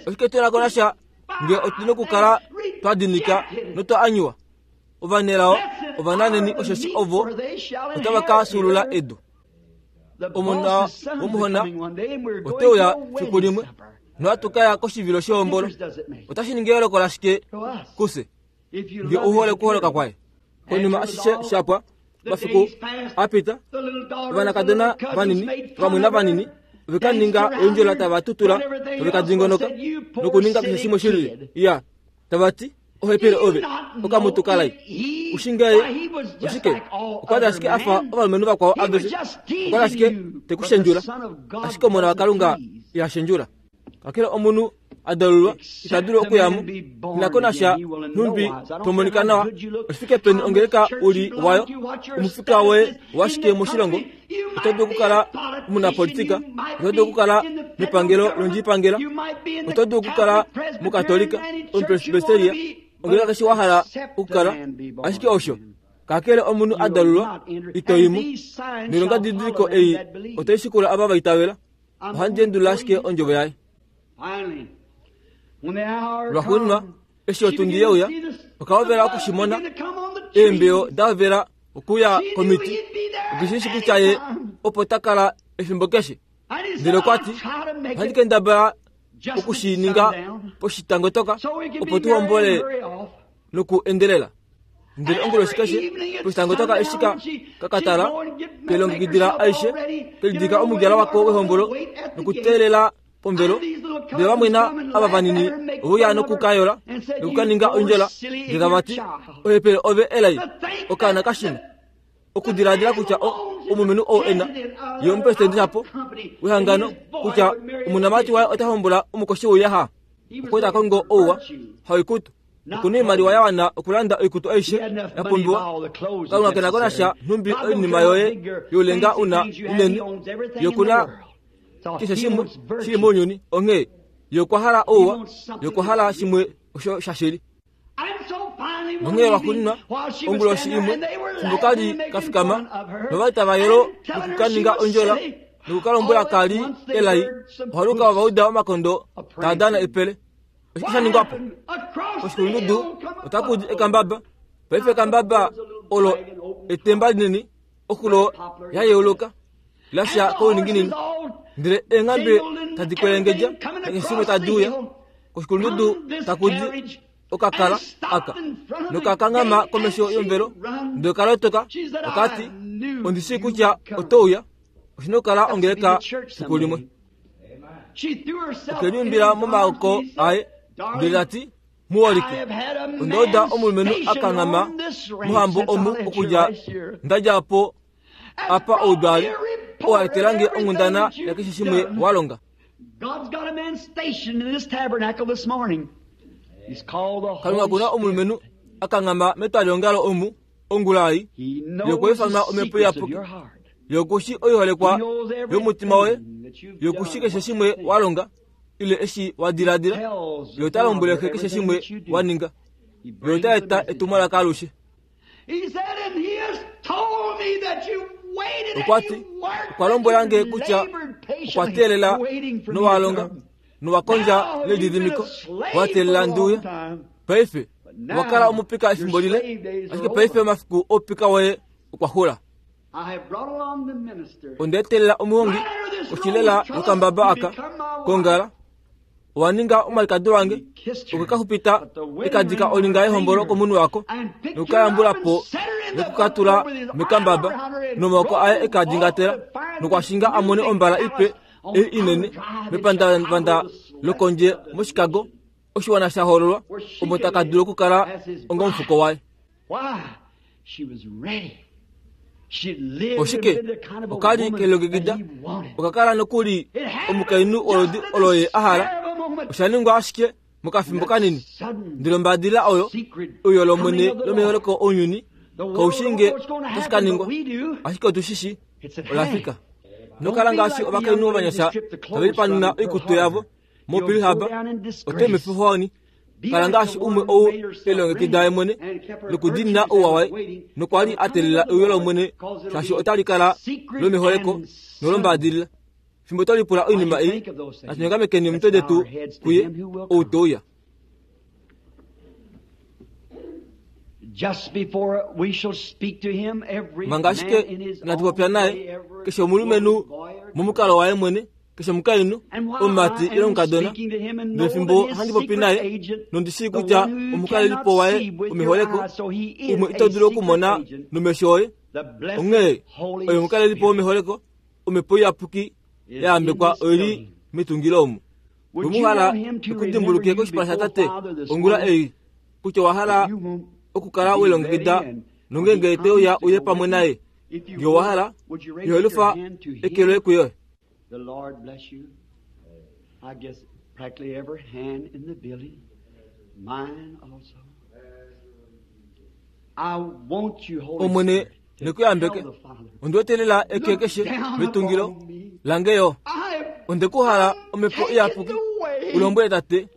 Oshike tu na ko nasha ngee otu na okukala twa dinika notwa anyuwa? Ovanelao ovananeni osheshi ovo otava ka fyuulula edu. Omona womuhona ote uya fiku limwe nohatu ka ya koshivilo shehombolo. Otashi ningi eyooloko lashike kufye ngee ou hole okuholoka kwaye? Konima ashishe shapwa, mafiku apita, ovanakadona vanini vamwe vanini ove ka ninga oindjola tava tutula tave ka dingonoka nokuninga keshe shimwe shilili. Iya, tava ti, Ohepele ove okamutukalai ushingaye oshike okwali ashike afa ovalumenhu vakwao aveshe okwali ashike tekushendjula ashike omona waKalunga ihashendjula kakele omunhu adalulwa ita dulu okuyamo inako nasha nhumbi tomonika nawa oshifike peni ongeleka uli wayo omufika woye washike moshilongo oto dulu okukala omunapolitika oto dulu okukala mepangelo londjipangela oto dulu okukala mukatolika omupresbyteria ongeleka keshe wa hala okukala ashike osho kakele omunhu adalulwa ito imo noilonga didiliko ei otai shikula ava vaitavela ohandi endulula ashike ondjovo yaye. Lwaxuuninwa eshi otundi yeuya okahovela okushimona eembeyo dahovela okuya komiti okishishi kutya ye opo takala efimbo keshe ndele okwati ohandi kendabala okushininga poshitangotoka opo tuhombole noku endelela ndele onguloshi keshe poshitangotoka eshi kakatala kelongekidila aishe kelidika omudjala wako wehombolo nokuteelela pomvelo ndele vamwena ava vanini ouya nokukayola nokukaninga ondjola ndele tavati ohepele ove elai okaana kashina okudiladila kutya omulumenhu ou ena ye omupresidente shapo wehangano kutya omunamati waye ota hombola omukoshi wouyaha okweta kongo ouwa haikutu okuna oimaliwa ya wana okulanda oikutu aishe ya pumbiwa Kalunga kena ko nasha nhumbi oinima yoye youlenga una inene yokuna keshe shimwe shili mounyuni onghee yokwahala ouwa yokwahala shimwe osho shashili. Nonghee lwaxuuninwa onguloshi imwe fimbo kali kafikama novali tava yelo nokukaninga ondjola nokukalombwela kali elai ohaluka ovauda omakondo taa dana epele. Oshike sha ningwapo? Koshikulundudu otakudi ekambaba. Paife ekambaba olo etemba linini oxulo yayeuluka lasha kouninginino ndele eenghambe tadi kwelengedja nakeshe shimwe tadi uya koshikulundudu takudi okakala aka nokakangama komesho yomvelo ndele okalotoka okati ondishii kutya otouya oshina okukala ongeleka fiku limwe. Okeliumbila momaoko aye ndele tati muholike ondauda omulumenhu akangama mohambo omu okudja ndadja po apa oudwali oo aetelange onghundana yakeshe shimwe walonga. Kalunga kuna omulumenhu akangama metwaliongalo omu ongula ei yokwiifanwa omhepo iyapuki yokushi oiholekwa yomutima woye yokushi keshe shimwe walonga ile eshi wadiladila ye ota lombwele keshe shimwe waninga ye ota eta etumwalaka alushe. Okwati okwa lombwelange kutya okwa teelela nowalonga nowakondja nelididimiko wateelela nduuya. Paife wakala omupika efimbo lile ashike paife omafiku oupika woye okwa xula. Ondeetelela omuhongi oshilela nokambaba aka kongala owaninga omwalikadi wange okekaxupita ekadika olinga yehombolo komunhu wako nokukayambulapo nokukatula mekambaba nomaoko aye ekadingatela nokwashinga amone ombala ipe ei inene mepandavanda lokondje moChicago oshiwana sha hoololwa omo taka dulu okukala onga omufuko waye. Oshike okali kelongekida okakala nokuli omukainhu olodi olo ye ahala osha ningwa ashike mokafimbo kanini ndele ombadila oyo oyo lomwene lomeholeko ounyuni kaushinge otashi ka ningwa ashike otushishi olafika. Nokala ngaashi ovakainhu ovanyasha tave lipanuna oikutu yavo moPearl Harbor ote mefifohoni kala ngaashi umwe ou elongekida ye mwene nokudiinina ouwa waye nokwali a teelela euyo lomwene shaashi otali kala lomeholeko nolombadilila. Fimbo tolipula oinima ei natunyongamekeni omitwe detu kuye ou touya. Manga ashike inatu popya naye keshe omulumenhu momukalo waye mwene keshe omukainhu omumati ile omukadona ndele fimbo handi popi naye nondishii kutya omukalelipo waye omeholeko umwe ito dulu okumona nomesho oye onghee oye omukalelipo womeholeko omhepo iyapuki yayambekwa oili metungilo omu. Wemuhala ekudimbuluke koshipala shatate ongula ei Kutya owa hala okukala welongekida nongenge teuya uye pamwe naye. Ngee owa hala, ihelufa eke loye kuye. The Lord bless you. I guess practically every hand in the building, mine also. I want you, Holy Omwene Spirit, to nekuyambeke. tell the Father, Ondiwetelela eke keshe metungilo lange yo. I have Ondekuhala omhepo iyapuki ulombwele tate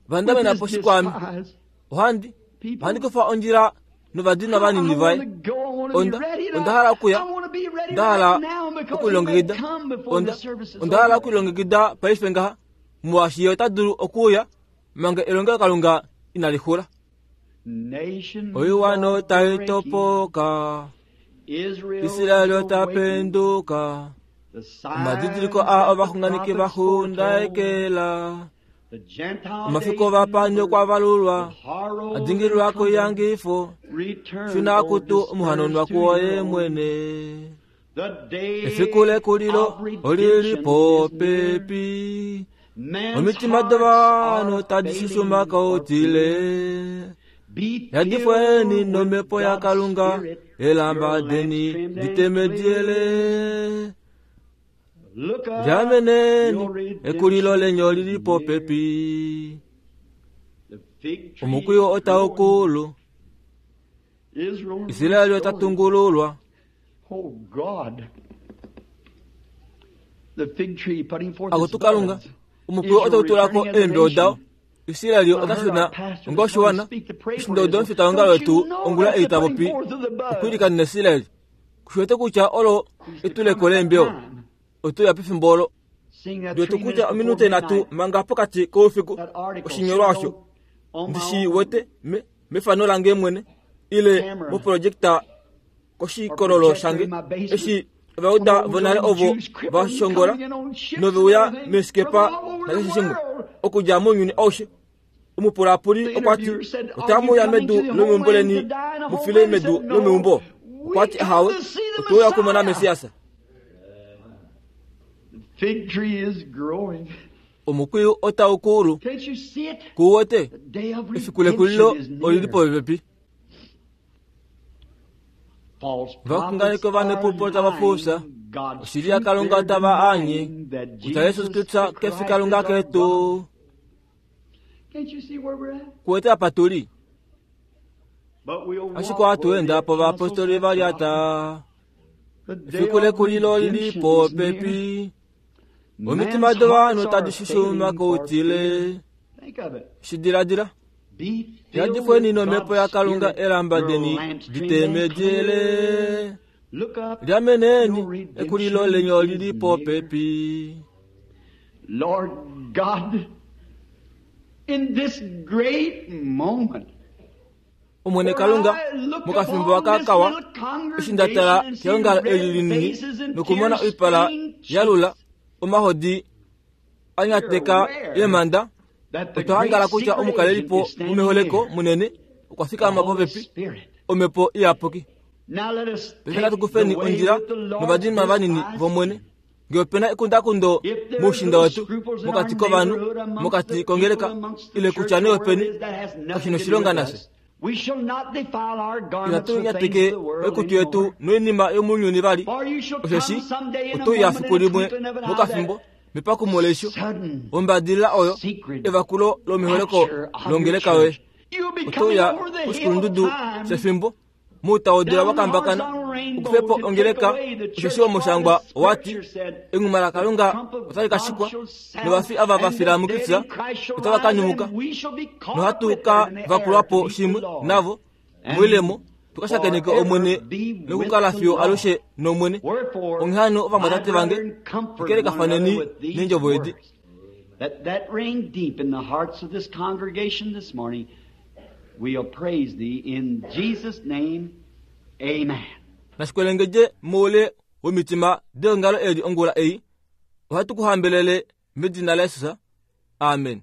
vandamena po shikwami. despised Ohandi people. ohandi kufa ondjila novadinwa I vanini want vaye. to go. I want to Onda be ready. And onda hala okuya. I want to be ready Onda hala right now because he may okulongekida. come before Onda the service is onda hala over. okulongekida paife ngaha. Molwaashi ye ota dulu okuuya manga elongelokalunga inali xula. Nation Oiwana otai breaking, topoka, Israel Israel is ota awakening. penduka. The signs Omadidiliko a that the ovaxunganeki prophets foretold, vaxundaekela. the Gentile Omafiko days vapani numbered, okwa valulwa. with horrors Adingililwa and cumbrance. koyangifo. Return, Shuna O kutu dispersed omuhanonwa to your kuoye own. mwene. The day Efiku lekulilo of olili redemption is near. popepi. Man's Omitima hearts dovanhu are tadi failing shushuma for kautile. fear. Be Yadifweni filled with nomhepo God's yaKalunga Spirit, elamba your lamps deni trimmed and ditemediele. clear. Look up, Lyameneni your redemption ekulilo lenyo lili is near. popepi. The fig tree Omukwiyo is otau growing. kulu. Israel Israeli ota restored. tungululwa. Oh God. The fig tree putting forth its Akutu Kalunga. buds. Omukwiyo Israel otau tulako returning as a eembeo dao. nation. Israeli I ota heard our shuna pastor this onga morning oshiwana. speak to pray for Oshindodo Israel. omufita Don't wetu you know ongula that's ei the ta putting popi forth of the buds? okwiilikanena Israeli. Kushiwete kutya olo He's to etuleko come at that leembeo. time. Otuya pefimbo olo. Seeing that Ndiwete three kutya minutes before ominute nhatu midnight, manga pokati koufiku that article oshinyolwa sitting osho on, on my ndishi own wete me mefano lange mwene ile camera moprojekta or koshikololo projector shange in my basement. eshi Some ovauda old vonale old ovo Jews crippled va shongola coming in on ships and noveuya everything from meesikepa all over the nakeshe shimwe world. okudja mounyuni aushe. Omupulapuli The okwa ti interviewer said, Are you otamuya coming medu to the lomeumbo homeland leni to die in a mufile homeland? He medu said, No. lomeumbo. We Okwa ti come ahawe to see the otouya okumona Messiah. Mesiasa. The fig tree is growing. Omukwiyu otau kulu Can't you see it? kuwote The day of efiku lekulilo redemption is olili near. popepi. False Vaxunganeki prophets ovanepupo are tava fufya. lying. God's Oshili truth yaKalunga they're tava anye denying that kutya Yesu Jesus Kristu the kefi Christ Kalunga is our ketu. God. Can't you see where we're at? Kuwete apa tuli. But we'll Ashike walk where the ohatu enda po apostles vaapostoli have va trodden. lyata. The day Efiku of lekulilo lili redemption is near. popepi. Omitima Man's dovanhu hearts tadi are shushuma failing for koutile. fear. Think of it. Shidiladila. Be filled Yadifweni with nomhepo God's yaKalunga Spirit, elamba your deni lamps trimmed and ditemediele. clear. Look up, Lyameneni your ekulilo redemption lenyo is lili near. popepi. Lord God, in this great moment, Omwene where Kalunga I look mokafimbo upon this akakawa little eshi nda tala congregation and see keongalo eli red linini faces and nokumona oipala tear-stained yalula cheeks, omahodi anyateka you're aware eemanda that the otwa hangala great kutya secret agent omukalelipo is standing mumeholeko near, munene okwa the fikama Holy popepi Spirit. omhepo iyapuki. Now let us Paife take natu the kufeni way ondjila with the Lord's novadinwa vanini despised. vomwene. Ngee opena ekundakundo If there's moushinda little wetu scruples in our mokati kovanhu neighborhood, amongst mokati the people, kongeleka amongst the ile church, kutya or nee wherever it openi is that has nothing kashina to do oshilonga with nafye. us, we shall not defile our garments Inatu with things of nyateke the world oikutu yetu anymore. noinima yomunyuni vali For you shall osheshi come someday in a otuya moment, fiku in a limwe twinkling of an eye, mokafimbo that mepakumo leisho sudden ombadilila oyo secret evakulo lomiholeko rapture of your longeleka yoye church. You'll be coming otuya over the hill of oshikulundudu time, shefimbo muutaudila down the wakambakana horizontal rainbow okufepo to take ongeleka away the church. osheshi For the omushangwa owati scripture said, enguma the lakalunga trump of otali ka God shikwa shall sound, novafi ava and the vafila dead muKristus in Christ shall otava ka rise, nyumuka and we shall be caught up nohatu with ka them in the air to vakulwapo meet the shimwe Lord, navo and moilemo tukashakeneke forever omwene be with nokukala the fiyo Lord. alushe nomwene. Wherefore, Onghee hano my ovamwatate vange brethren, comfort one another kelekafaneni with these neendjovo edi. words. That that ring deep in the hearts of this congregation this morning. We'll praise thee in Jesus' name. Amen. Nashikwelengedje moule womitima deongalo eli ongula ei ohatu ku hambelele medina laJesus. Amen.